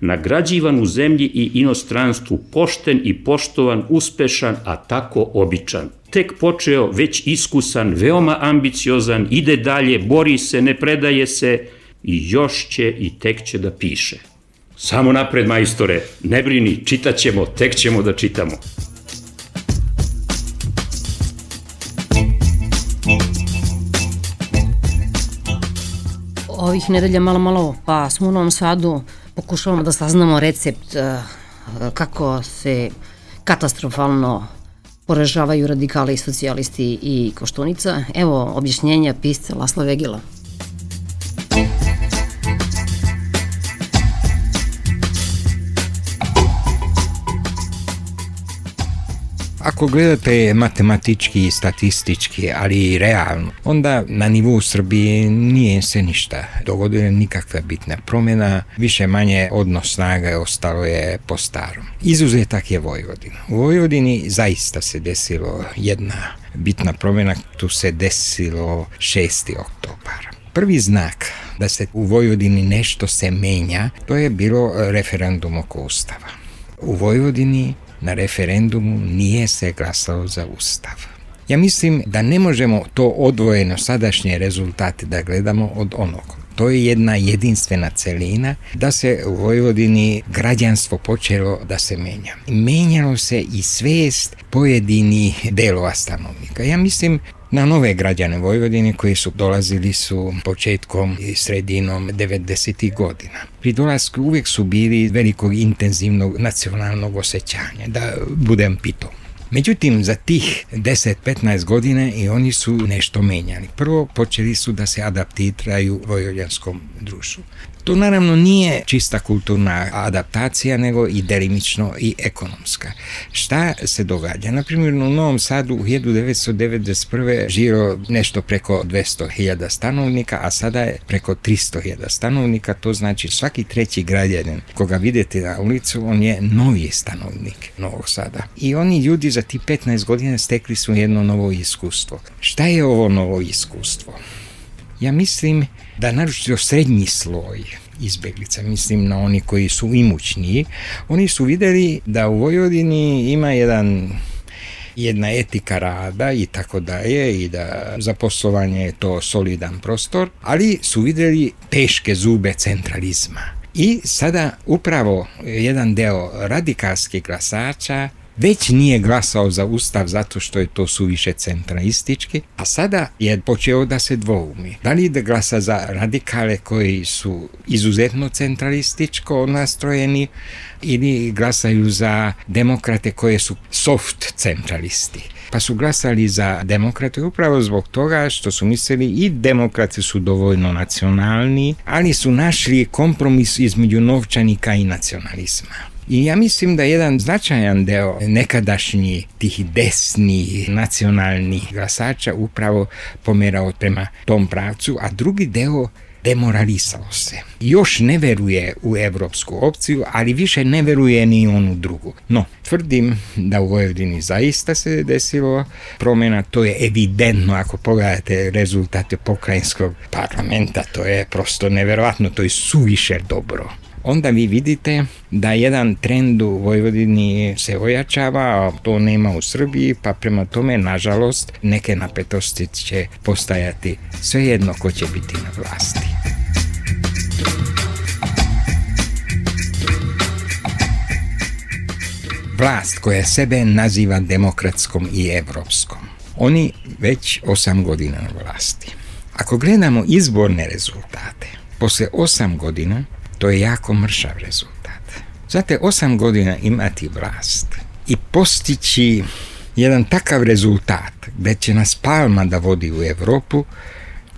nagrađivan u zemlji i inostranstvu, pošten i poštovan, uspešan, a tako običan. Tek počeo, već iskusan, veoma ambiciozan, ide dalje, bori se, ne predaje se i još će i tek će da piše. Samo napred, majstore, ne brini, čitat ćemo, tek ćemo da čitamo. Ovih nedelja malo, pa smo u Novom Sadu, pokušavamo da saznamo recept kako se katastrofalno poražavaju radikali i socijalisti i Koštunica. Evo objašnjenja pisca Lasla Vegila. Ako gledate matematički i statistički, ali i realno, onda na nivou Srbije nije se ništa dogodilo, nikakva bitna promjena, više manje odnos snaga ostalo je po starom. Izuzetak je Vojvodina. U Vojvodini zaista se desilo jedna bitna promjena, tu se desilo 6. oktobar. Prvi znak da se u Vojvodini nešto se menja, to je bilo referendum oko Ustava. U Vojvodini na referendumu nije se glasalo za Ustav. Ja mislim da ne možemo to odvojeno sadašnje rezultate da gledamo od onog. To je jedna jedinstvena celina da se u Vojvodini građanstvo počelo da se menja. Menjalo se i svest pojedinih delova stanovnika. Ja mislim na nove građane Vojvodine koji su dolazili su početkom i sredinom 90. godina. Pri dolasku uvijek su bili velikog intenzivnog nacionalnog osjećanja, da budem pitom. Međutim, za tih 10-15 godina i oni su nešto menjali. Prvo, počeli su da se adaptiraju vojvođanskom društvu. To naravno nije čista kulturna adaptacija, nego i delimično i ekonomska. Šta se događa? Naprimjer, u Novom Sadu u 1991. živio nešto preko 200.000 stanovnika, a sada je preko 300.000 stanovnika, to znači svaki treći građanin koga vidite na ulicu, on je novi stanovnik Novog Sada. I oni ljudi za ti 15 godina stekli su jedno novo iskustvo. Šta je ovo novo iskustvo? Ja mislim da naročito srednji sloj izbeglica, mislim na oni koji su imućniji, oni su vidjeli da u Vojvodini ima jedna etika rada i tako dalje i da za poslovanje je to solidan prostor, ali su vidjeli teške zube centralizma. I sada upravo jedan deo radikalskih glasača već nije glasao za Ustav zato što je to suviše centralistički, a sada je počeo da se dvoumi. Da li da glasa za radikale koji su izuzetno centralističko nastrojeni ili glasaju za demokrate koje su soft centralisti. Pa su glasali za demokrate upravo zbog toga što su mislili i demokrati su dovoljno nacionalni, ali su našli kompromis između novčanika i nacionalizma. I ja mislim da jedan značajan deo nekadašnjih tih desnih nacionalnih glasača upravo pomerao prema tom pravcu, a drugi deo demoralisao se. Još ne veruje u evropsku opciju, ali više ne veruje ni onu drugu. No, tvrdim da u Vojvodini zaista se desilo promjena, to je evidentno ako pogledate rezultate pokrajinskog parlamenta, to je prosto neverovatno, to je suviše dobro. Onda vi vidite da jedan trend u Vojvodini se ojačava, a to nema u Srbiji, pa prema tome, nažalost, neke napetosti će postajati svejedno ko će biti na vlasti. vlast koja sebe naziva demokratskom i evropskom. Oni već 8 godina na vlasti. Ako gledamo izborne rezultate, posle 8 godina, to je jako mršav rezultat. Znate, 8 godina imati vlast i postići jedan takav rezultat gde će nas Palma da vodi u Evropu,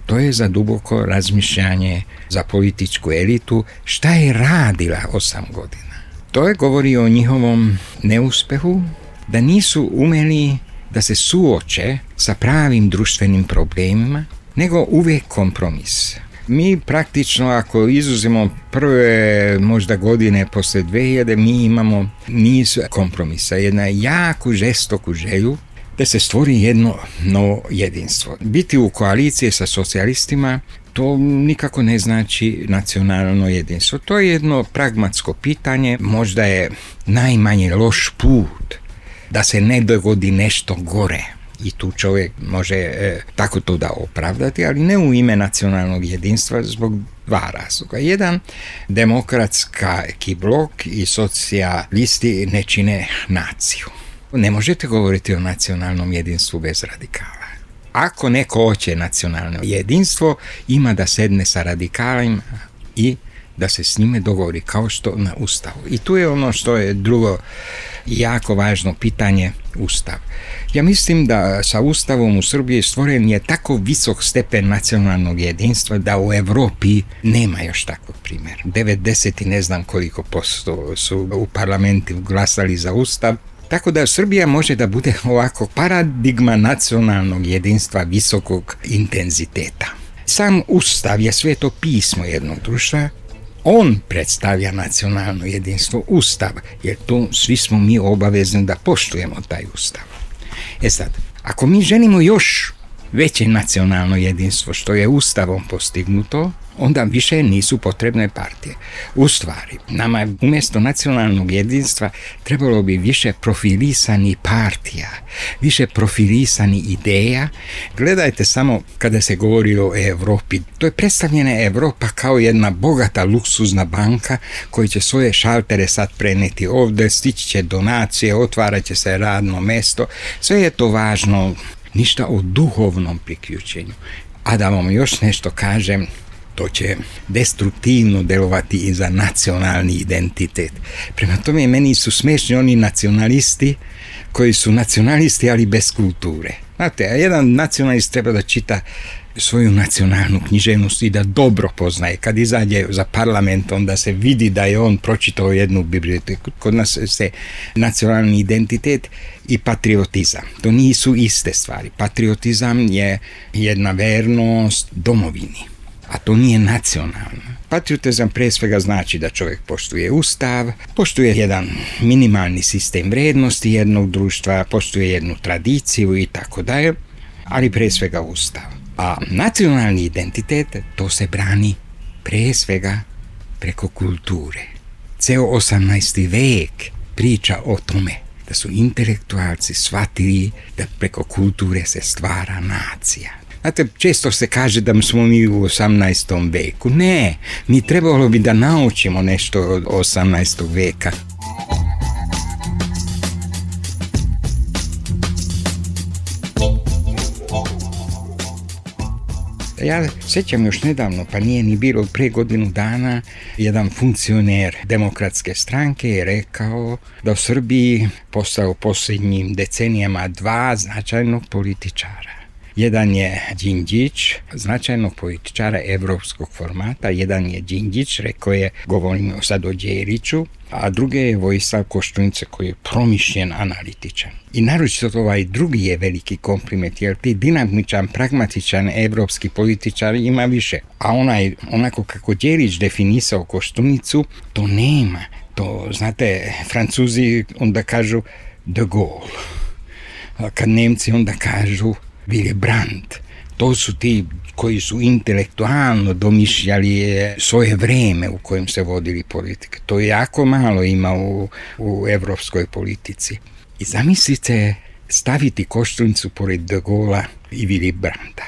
to je za duboko razmišljanje za političku elitu šta je radila 8 godina. To je govori o njihovom neuspehu, da nisu umeli da se suoče sa pravim društvenim problemima, nego uvek kompromis. Mi praktično, ako izuzimo prve možda godine posle 2000, mi imamo niz kompromisa, jedna jako žestoku želju da se stvori jedno novo jedinstvo. Biti u koaliciji sa socijalistima, to nikako ne znači nacionalno jedinstvo. To je jedno pragmatsko pitanje, možda je najmanje loš put da se ne dogodi nešto gore. I tu čovjek može tako to da opravdati, ali ne u ime nacionalnog jedinstva zbog 2 razloga. Jedan, demokratski blok i socijalisti ne čine naciju. Ne možete govoriti o nacionalnom jedinstvu bez radikala. Ako neko hoće nacionalno jedinstvo, ima da sedne sa radikalima i da se s njime dogovori kao što na Ustavu. I tu je ono što je drugo jako važno pitanje, Ustav. Ja mislim da sa Ustavom u Srbiji stvoren je tako visok stepen nacionalnog jedinstva da u Evropi nema još takvog primjera. 90 i ne znam koliko posto su u parlamentu glasali za Ustav. Tako da Srbija može da bude ovako paradigma nacionalnog jedinstva visokog intenziteta. Sam Ustav je sveto pismo jednog društva. On predstavlja nacionalno jedinstvo, Ustav, jer tu svi smo mi obavezni da poštujemo taj Ustav. Sad, ako mi želimo još veće nacionalno jedinstvo što je Ustavom postignuto, onda više nisu potrebne partije. U stvari, nama umjesto nacionalnog jedinstva trebalo bi više profilisani partija, više profilisani ideja. Gledajte samo kada se govori o Evropi. To je predstavljena Evropa kao jedna bogata luksuzna banka koja će svoje šaltere sad preneti ovdje, stići će donacije, otvarat će se radno mesto. Sve je to važno, ništa o duhovnom priključenju. A da vam još nešto kažem, to će destruktivno delovati i za nacionalni identitet. Prema tome, meni su smešni oni nacionalisti koji su nacionalisti, ali bez kulture. Znate, jedan nacionalist treba da čita svoju nacionalnu književnost i da dobro poznaje. Kad izađe za parlament, onda se vidi da je on pročitao jednu biblioteku. Kod nas se nacionalni identitet i patriotizam. To nisu iste stvari. Patriotizam je jedna vernost domovini, a to nije nacionalno. Patriotizam pre svega znači da čovjek poštuje Ustav, poštuje jedan minimalni sistem vrednosti jednog društva, poštuje jednu tradiciju i tako dalje, ali pre svega Ustav. A nacionalni identitet, to se brani pre svega preko kulture. Ceo 18. vek priča o tome da su intelektualci shvatili da preko kulture se stvara nacija. Znate, često se kaže da smo mi u 18. veku. Ne, mi trebalo bi da naučimo nešto od 18. veka. Ja sećam još nedavno, pa nije ni bilo pre godinu dana, jedan funkcioner demokratske stranke je rekao da u Srbiji postao posljednjim decenijama 2 značajnog političara. Jedan je Đinđić, značajnog političara evropskog formata, jedan je Đinđić, rekao je, govorimo sad o Đeliću, a drugi je Vojislav Koštunica koji je promišljen analitičan. I naročito ovaj drugi je veliki kompliment, jer ti dinamičan, pragmatičan evropski političar ima više. A onako kako Đelić definisao Koštunicu, to nema. To, znate, Francuzi onda kažu de Gaulle. A kad Nemci onda kažu Willy Brandt. To su ti koji su intelektualno domišljali svoje vreme u kojem se vodili politike. To jako malo ima u evropskoj politici. I zamislite staviti Koštunicu pored de Gaulla i Willy Brandta.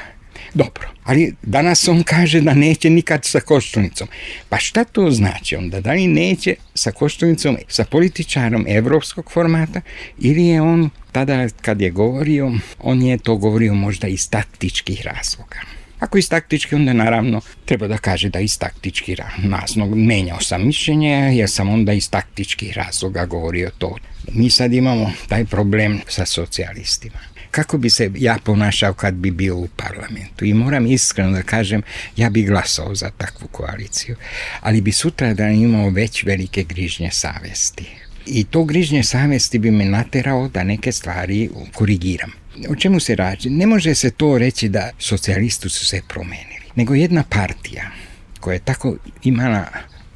Dobro, ali danas on kaže da neće nikad sa Koštunicom. Pa šta to znači onda? Da li neće sa Koštunicom, sa političarom evropskog formata, ili je on tada kad je govorio, on je to govorio možda iz taktičkih razloga. Ako iz taktički, onda naravno treba da kaže da iz taktički razloga menjao sam mišljenje, jer sam onda iz taktičkih razloga govorio to. Mi sad imamo taj problem sa socijalistima. Kako bi se ja ponašao kad bi bio u parlamentu? I moram iskreno da kažem, ja bi glasao za takvu koaliciju, ali bi sutradan imao već velike grižnje savesti. I to grižnje savesti bi me naterao da neke stvari korigiram. O čemu se radi? Ne može se to reći da socijalisti su se promenili, nego jedna partija koja je tako imala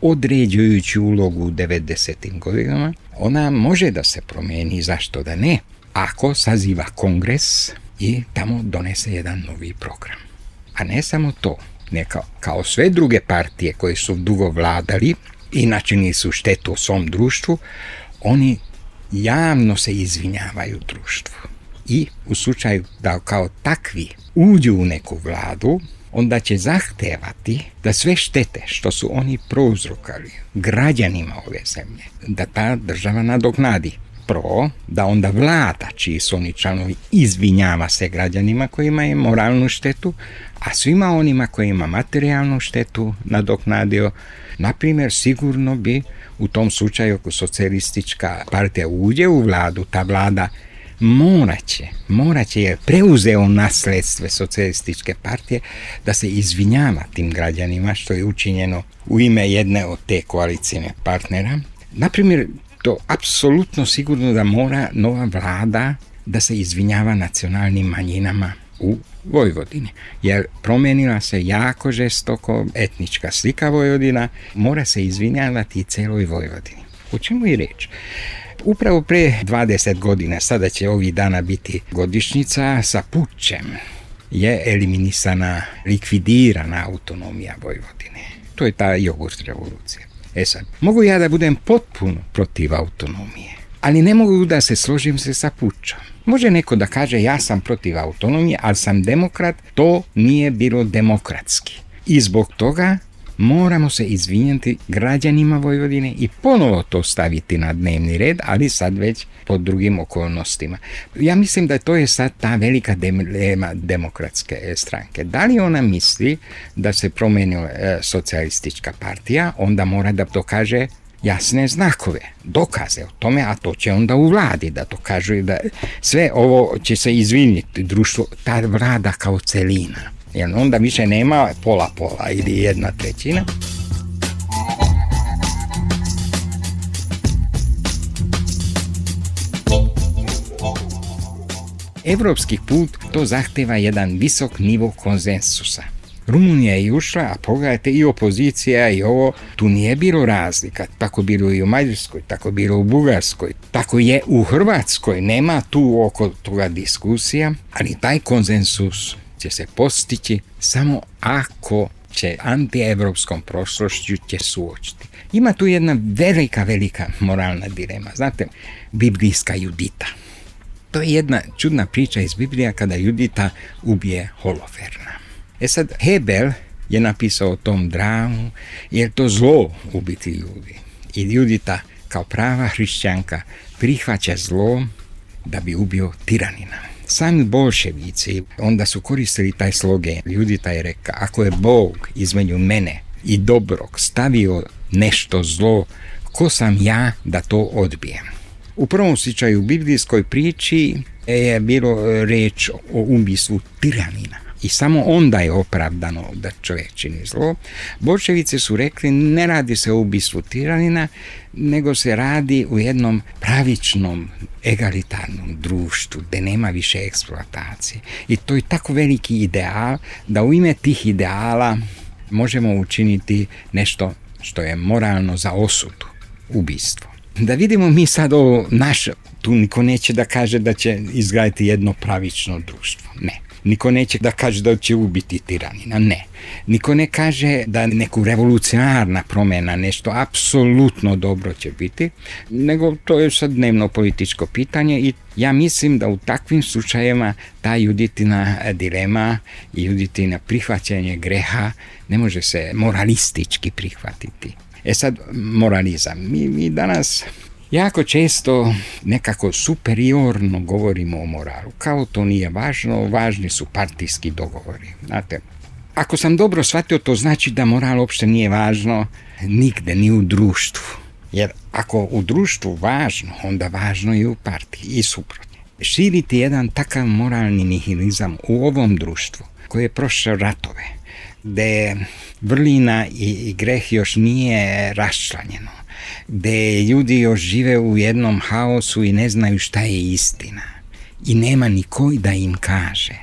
određujuću ulogu u 90. godinama, ona može da se promeni, zašto da ne, ako saziva kongres i tamo donese jedan novi program. A ne samo to, neka kao sve druge partije koje su dugo vladali i načinili su štetu u svom društvu, oni javno se izvinjavaju društvu. I u slučaju da kao takvi uđu u neku vladu, onda će zahtevati da sve štete što su oni prouzrokali građanima ove zemlje, da ta država nadoknadi. Prvo, da onda vlada, čiji su oni članovi, izvinjava se građanima koji imaju moralnu štetu, a svima onima koji ima materijalnu štetu nadoknadio. Naprimjer, sigurno bi u tom slučaju ako socijalistička partija uđe u vladu, ta vlada moraće jer preuzeo nasledstve socijalističke partije da se izvinjava tim građanima što je učinjeno u ime jedne od te koalicijne partnera. Naprimjer, to apsolutno sigurno da mora nova vlada da se izvinjava nacionalnim manjinama u Vojvodini, jer promenila se jako žestoko etnička slika Vojvodina, mora se izvinjavati i celoj Vojvodini. O čemu je reč? Upravo pre 20 godina, sada će ovih dana biti godišnjica, sa pučem je eliminisana, likvidirana autonomija Vojvodine. To je ta jogurt revolucija. Sad, mogu ja da budem potpuno protiv autonomije, ali ne mogu da se složim se sa pučom. Može neko da kaže ja sam protiv autonomije, ali sam demokrat, to nije bilo demokratski. I zbog toga moramo se izvinjati građanima Vojvodine i ponovo to staviti na dnevni red, ali sad već pod drugim okolnostima. Ja mislim da to je sad ta velika dilema demokratske stranke. Da li ona misli da se promenila socijalistička partija, onda mora da dokaže jasne znakove, dokaze o tome, a to će onda u vladi da dokažu da sve ovo će se izviniti društvo, ta vlada kao celina. Jer onda više nema pola-pola ili 1/3. Evropski put to zahteva jedan visok nivo konsensusa. Rumunija je ušla, a pogledajte i opozicija i ovo, tu nije bilo razlika, tako bilo i u Mađarskoj, tako bilo u Bugarskoj, tako je u Hrvatskoj, nema tu oko toga diskusija, ali taj konsensus će se postići samo ako će antievropskom prošlošću će suočiti. Ima tu jedna velika moralna dilema. Znate, biblijska Judita. To je jedna čudna priča iz Biblija kada Judita ubije Holoferna. Sad, Hebel je napisao o tom dramu, jer to zlo ubiti ljudi. I Judita kao prava hrišćanka prihvaća zlo da bi ubio tiranina. Sami bolševici onda su koristili taj slogan. Judita je rekla, ako je Bog između mene i dobrog stavio nešto zlo, ko sam ja da to odbijem? U prvom slučaju u biblijskoj priči je bilo reč o ubistvu tiranina. I samo onda je opravdano da čovjek čini zlo. Bolševici su rekli, ne radi se o ubistvu tiranina, nego se radi u jednom pravičnom, egalitarnom društvu, gde nema više eksploatacije. I to je tako veliki ideal, da u ime tih ideala možemo učiniti nešto što je moralno za osudu, ubistvo. Da vidimo mi sad ovo naše, tu niko neće da kaže da će izgraditi jedno pravično društvo. Ne. Niko neće da kaže da će ubiti tiranina, ne. Niko ne kaže da neku revolucionarna promjena, nešto apsolutno dobro će biti, nego to je sad dnevno političko pitanje i ja mislim da u takvim slučajevima ta Juditina dilema i Juditina prihvaćanje greha ne može se moralistički prihvatiti. Sad, moralizam. Mi danas jako često nekako superiorno govorimo o moralu. Kao to nije važno, važni su partijski dogovori. Znate, ako sam dobro shvatio, to znači da moral uopšte nije važno nigde, ni u društvu. Jer ako u društvu važno, onda važno i u partiji i suprotno. Širiti jedan takav moralni nihilizam u ovom društvu koje je prošlo ratove, gde vrlina i greh još nije raščlanjeno, gde ljudi još žive u jednom haosu i ne znaju šta je istina i nema niko da im kaže.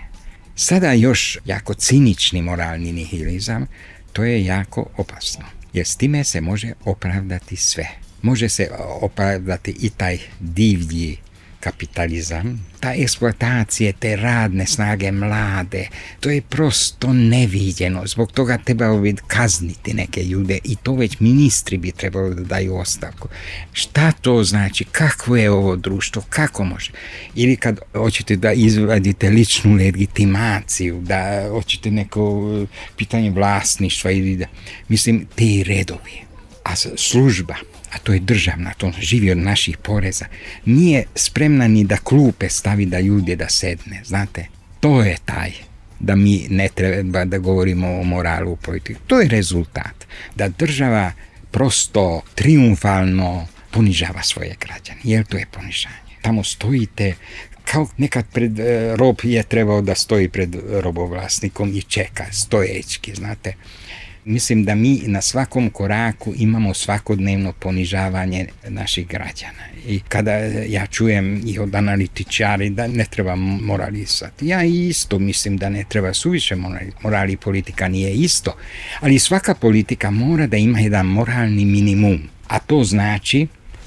Sada još jako cinični moralni nihilizam, to je jako opasno, jer s time se može opravdati sve. Može se opravdati i taj divlji kapitalizam, ta eksploatacija te radne snage mlade, to je prosto neviđeno, zbog toga trebalo bi kazniti neke ljude i to već ministri bi trebalo da daju ostavku. Šta to znači? Kakvo je ovo društvo? Kako može? Ili kad hoćete da izvadite ličnu legitimaciju, da hoćete neko pitanje vlasništva ili da, mislim, te redovi. A služba, a to je državna, to živi od naših poreza, nije spremna ni da klupe stavi da ljude da sedne, znate. To je taj, da mi ne treba da govorimo o moralu u politiku. To je rezultat, da država prosto triumfalno ponižava svoje građane, jer to je ponižanje. Tamo stojite, kao nekad pred rob je trebao da stoji pred robovlasnikom i čeka, stojećki, znate. Mislim da mi na svakom koraku imamo svakodnevno ponižavanje naših građana. I kada ja čujem i od analitičari da ne treba moralisati, ja isto mislim da ne treba suviše morali, politika nije isto, ali svaka politika mora da ima jedan moralni minimum, a to znači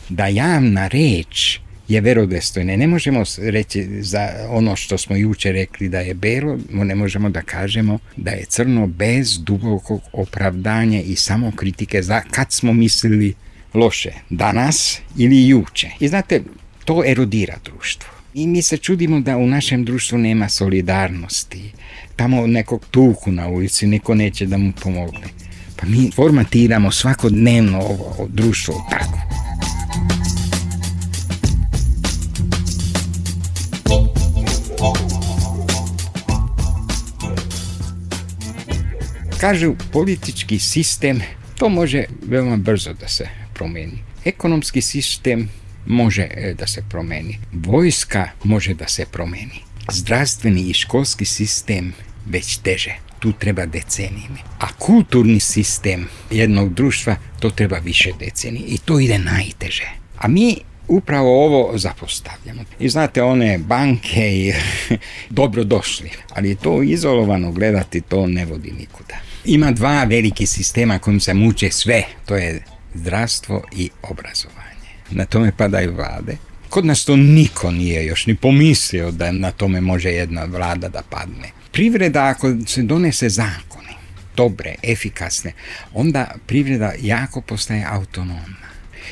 da javna reč je verodostojna. Ne možemo reći za ono što smo juče rekli da je belo, ne možemo da kažemo da je crno bez dubokog opravdanja i samokritike za kad smo mislili loše, danas ili juče. I znate, to erodira društvo. I mi se čudimo da u našem društvu nema solidarnosti. Tamo nekog tuku na ulici, niko neće da mu pomogne. Pa mi formatiramo svakodnevno ovo društvo tako. Kažu, politički sistem, to može veoma brzo da se promeni. Ekonomski sistem može da se promeni. Vojska može da se promeni. Zdravstveni i školski sistem već teže. Tu treba decenijama. A kulturni sistem jednog društva, to treba više decenije. I to ide najteže. A mi upravo ovo zapostavljamo. I znate, one banke i dobro došli, ali to izolovano gledati, to ne vodi nikuda. Ima dva veliki sistema kojim se muče sve, to je zdravstvo i obrazovanje. Na tome padaju vlade. Kod nas to niko nije još ni pomislio da na tome može jedna vlada da padne. Privreda, ako se donese zakoni, dobre, efikasne, onda privreda jako postaje autonomna.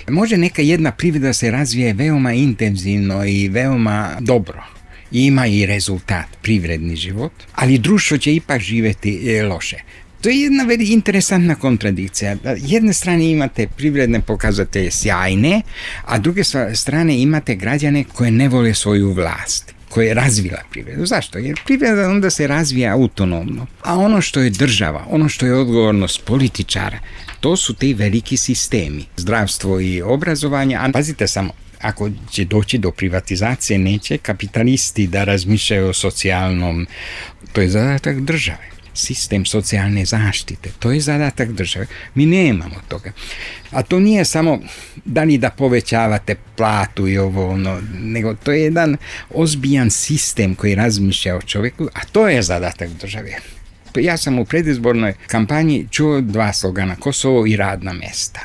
Može neka jedna privreda se razvije veoma intenzivno i veoma dobro. Ima i rezultat, privredni život, ali društvo će ipak živjeti loše. To je jedna interesantna kontradikcija. Jedne strane imate privredne pokazatelje sjajne, a druge strane imate građane koje ne vole svoju vlast, koje je razvila privredu. Zašto? Jer privreda onda se razvija autonomno. A ono što je država, ono što je odgovornost političara, to su ti veliki sistemi. Zdravstvo i obrazovanje, a pazite samo, ako će doći do privatizacije, neće kapitalisti da razmišljaju o socijalnom, to je zadatak države. Sistem socijalne zaštite, to je zadatak države. Mi nemamo toga. A to nije samo da li da povećavate platu i ovo, nego to je jedan ozbiljan sistem koji razmišlja o čovjeku, a to je zadatak države. Ja sam u predizbornoj kampanji čuo dva slogana, Kosovo i radna mesta.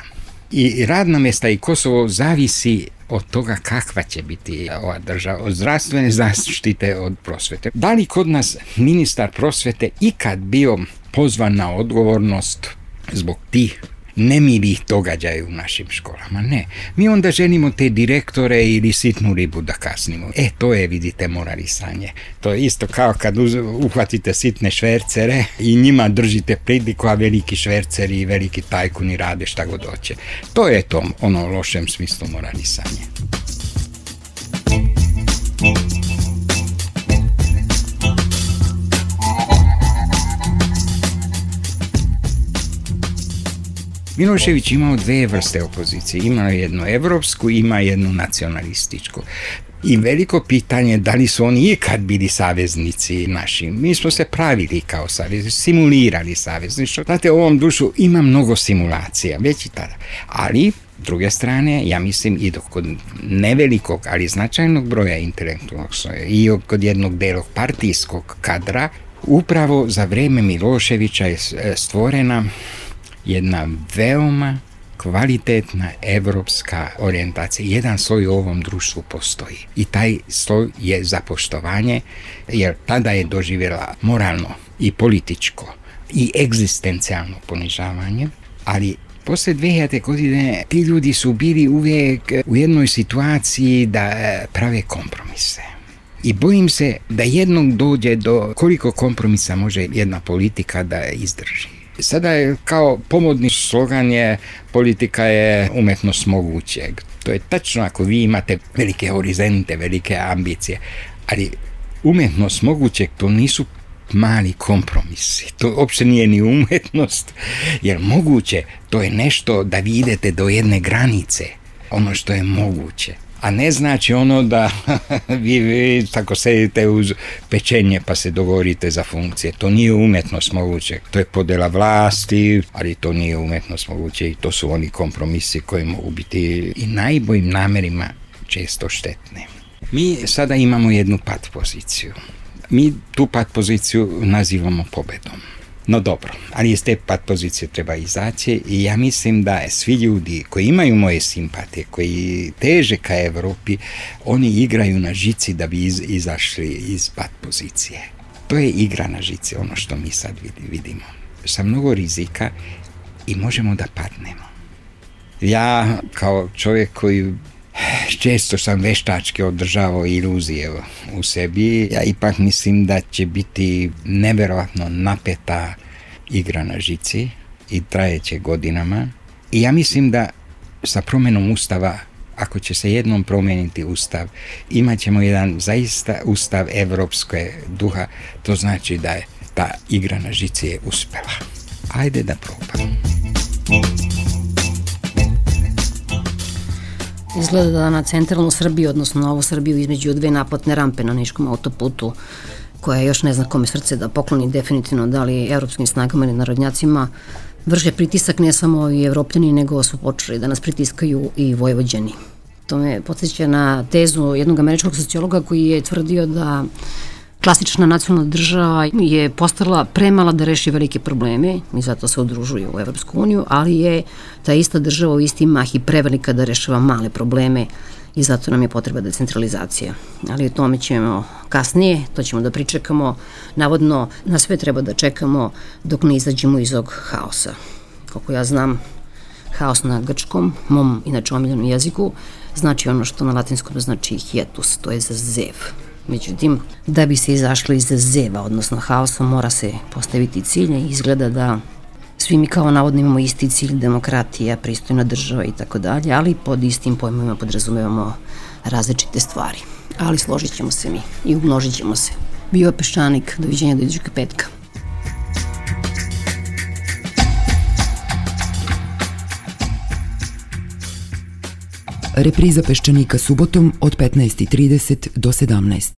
I radna mesta i Kosovo zavisi od toga kakva će biti ova država, od zdravstvene zaštite, od prosvete. Da li kod nas ministar prosvete ikad bio pozvan na odgovornost zbog tih nemilih događaja u našim školama? Ne. Mi onda želimo te direktore ili sitnu ribu da kasnimo. To je, vidite, moralisanje. To je isto kao kad uhvatite sitne švercere i njima držite pridiku, a veliki šverceri i veliki tajkuni rade šta god hoće. To je to, ono, u lošem smislu moralisanje. Milošević imao dve vrste opozicije, ima jednu evropsku, ima jednu nacionalističku. I veliko pitanje da li su oni ikad bili saveznici naši. Mi smo se pravili kao saveznici, simulirali savezništvo. Znate, u ovom dušu ima mnogo simulacija, već i tada. Ali, s druge strane, ja mislim i kod nevelikog, ali značajnog broja intelektualnog i kod jednog delog partijskog kadra, upravo za vreme Miloševića je stvorena jedna veoma kvalitetna evropska orijentacija. Jedan sloj u ovom društvu postoji i taj sloj je zapoštovanje, jer tada je doživjela moralno i političko i egzistencijalno ponižavanje, ali posle 2000. godine ti ljudi su bili uvijek u jednoj situaciji da prave kompromise. I bojim se da jednog dođe do koliko kompromisa može jedna politika da izdrži. Sada je kao pomodni slogan je politika je umetnost mogućeg. To je tačno ako vi imate velike horizonte, velike ambicije, ali umetnost mogućeg to nisu mali kompromisi. To uopšte nije ni umetnost, jer moguće to je nešto da vi idete do jedne granice, ono što je moguće. A ne znači ono da vi tako sedite uz pečenje pa se dogovorite za funkcije. To nije umetnost moguće. To je podela vlasti, ali to nije umetnost moguće i to su oni kompromisi koji mogu biti i najboljim namerima često štetni. Mi sada imamo jednu pat poziciju. Mi tu pat poziciju nazivamo pobedom. No dobro, ali iz te pat pozicije treba izaći i ja mislim da svi ljudi koji imaju moje simpatije, koji teže ka Evropi, oni igraju na žici da bi izašli iz pat pozicije. To je igra na žici, ono što mi sad vidimo. Sa mnogo rizika i možemo da padnemo. Ja kao čovjek koji često sam veštački održavao iluzije u sebi, ja ipak mislim da će biti neverovatno napeta igra na žici i trajeće godinama. I ja mislim da sa promjenom Ustava, ako će se jednom promijeniti Ustav, imat ćemo jedan zaista Ustav evropske duha, to znači da je ta igra na žici je uspela. Ajde da probamo. Izgleda da na centralnu Srbiju, odnosno Novu Srbiju, između dve naplatne rampe na Niškom autoputu, koja još ne zna kome srce da pokloni definitivno, da li evropskim snagama ili narodnjacima, vrše pritisak ne samo i Evropljani, nego su počeli da nas pritiskaju i Vojvođani. To me podsjeća na tezu jednog američkog sociologa koji je tvrdio da klasična nacionalna država je postala premala da reši velike probleme i zato se udružuju u Evropsku uniju, ali je ta ista država u isti mah i prevelika da rešava male probleme i zato nam je potreba decentralizacija. Ali o tome ćemo kasnije, to ćemo da pričekamo. Navodno, na sve treba da čekamo dok ne izađemo iz ovog haosa. Kako ja znam, haos na grčkom, mom inače omiljenom jeziku, znači ono što na latinskom znači hiatus, to je za zev. Međutim, da bi se izašli iz zeva, odnosno haosa, mora se postaviti cilj i izgleda da svi mi kao navodno imamo isti cilj, demokratija, pristojna država i tako dalje, ali pod istim pojmovima podrazumevamo različite stvari. Ali složit ćemo se mi i umnožit ćemo se. Bio je Peščanik, doviđenja do idućeg petka. Repriza Peščanika subotom od 15:30 do 17.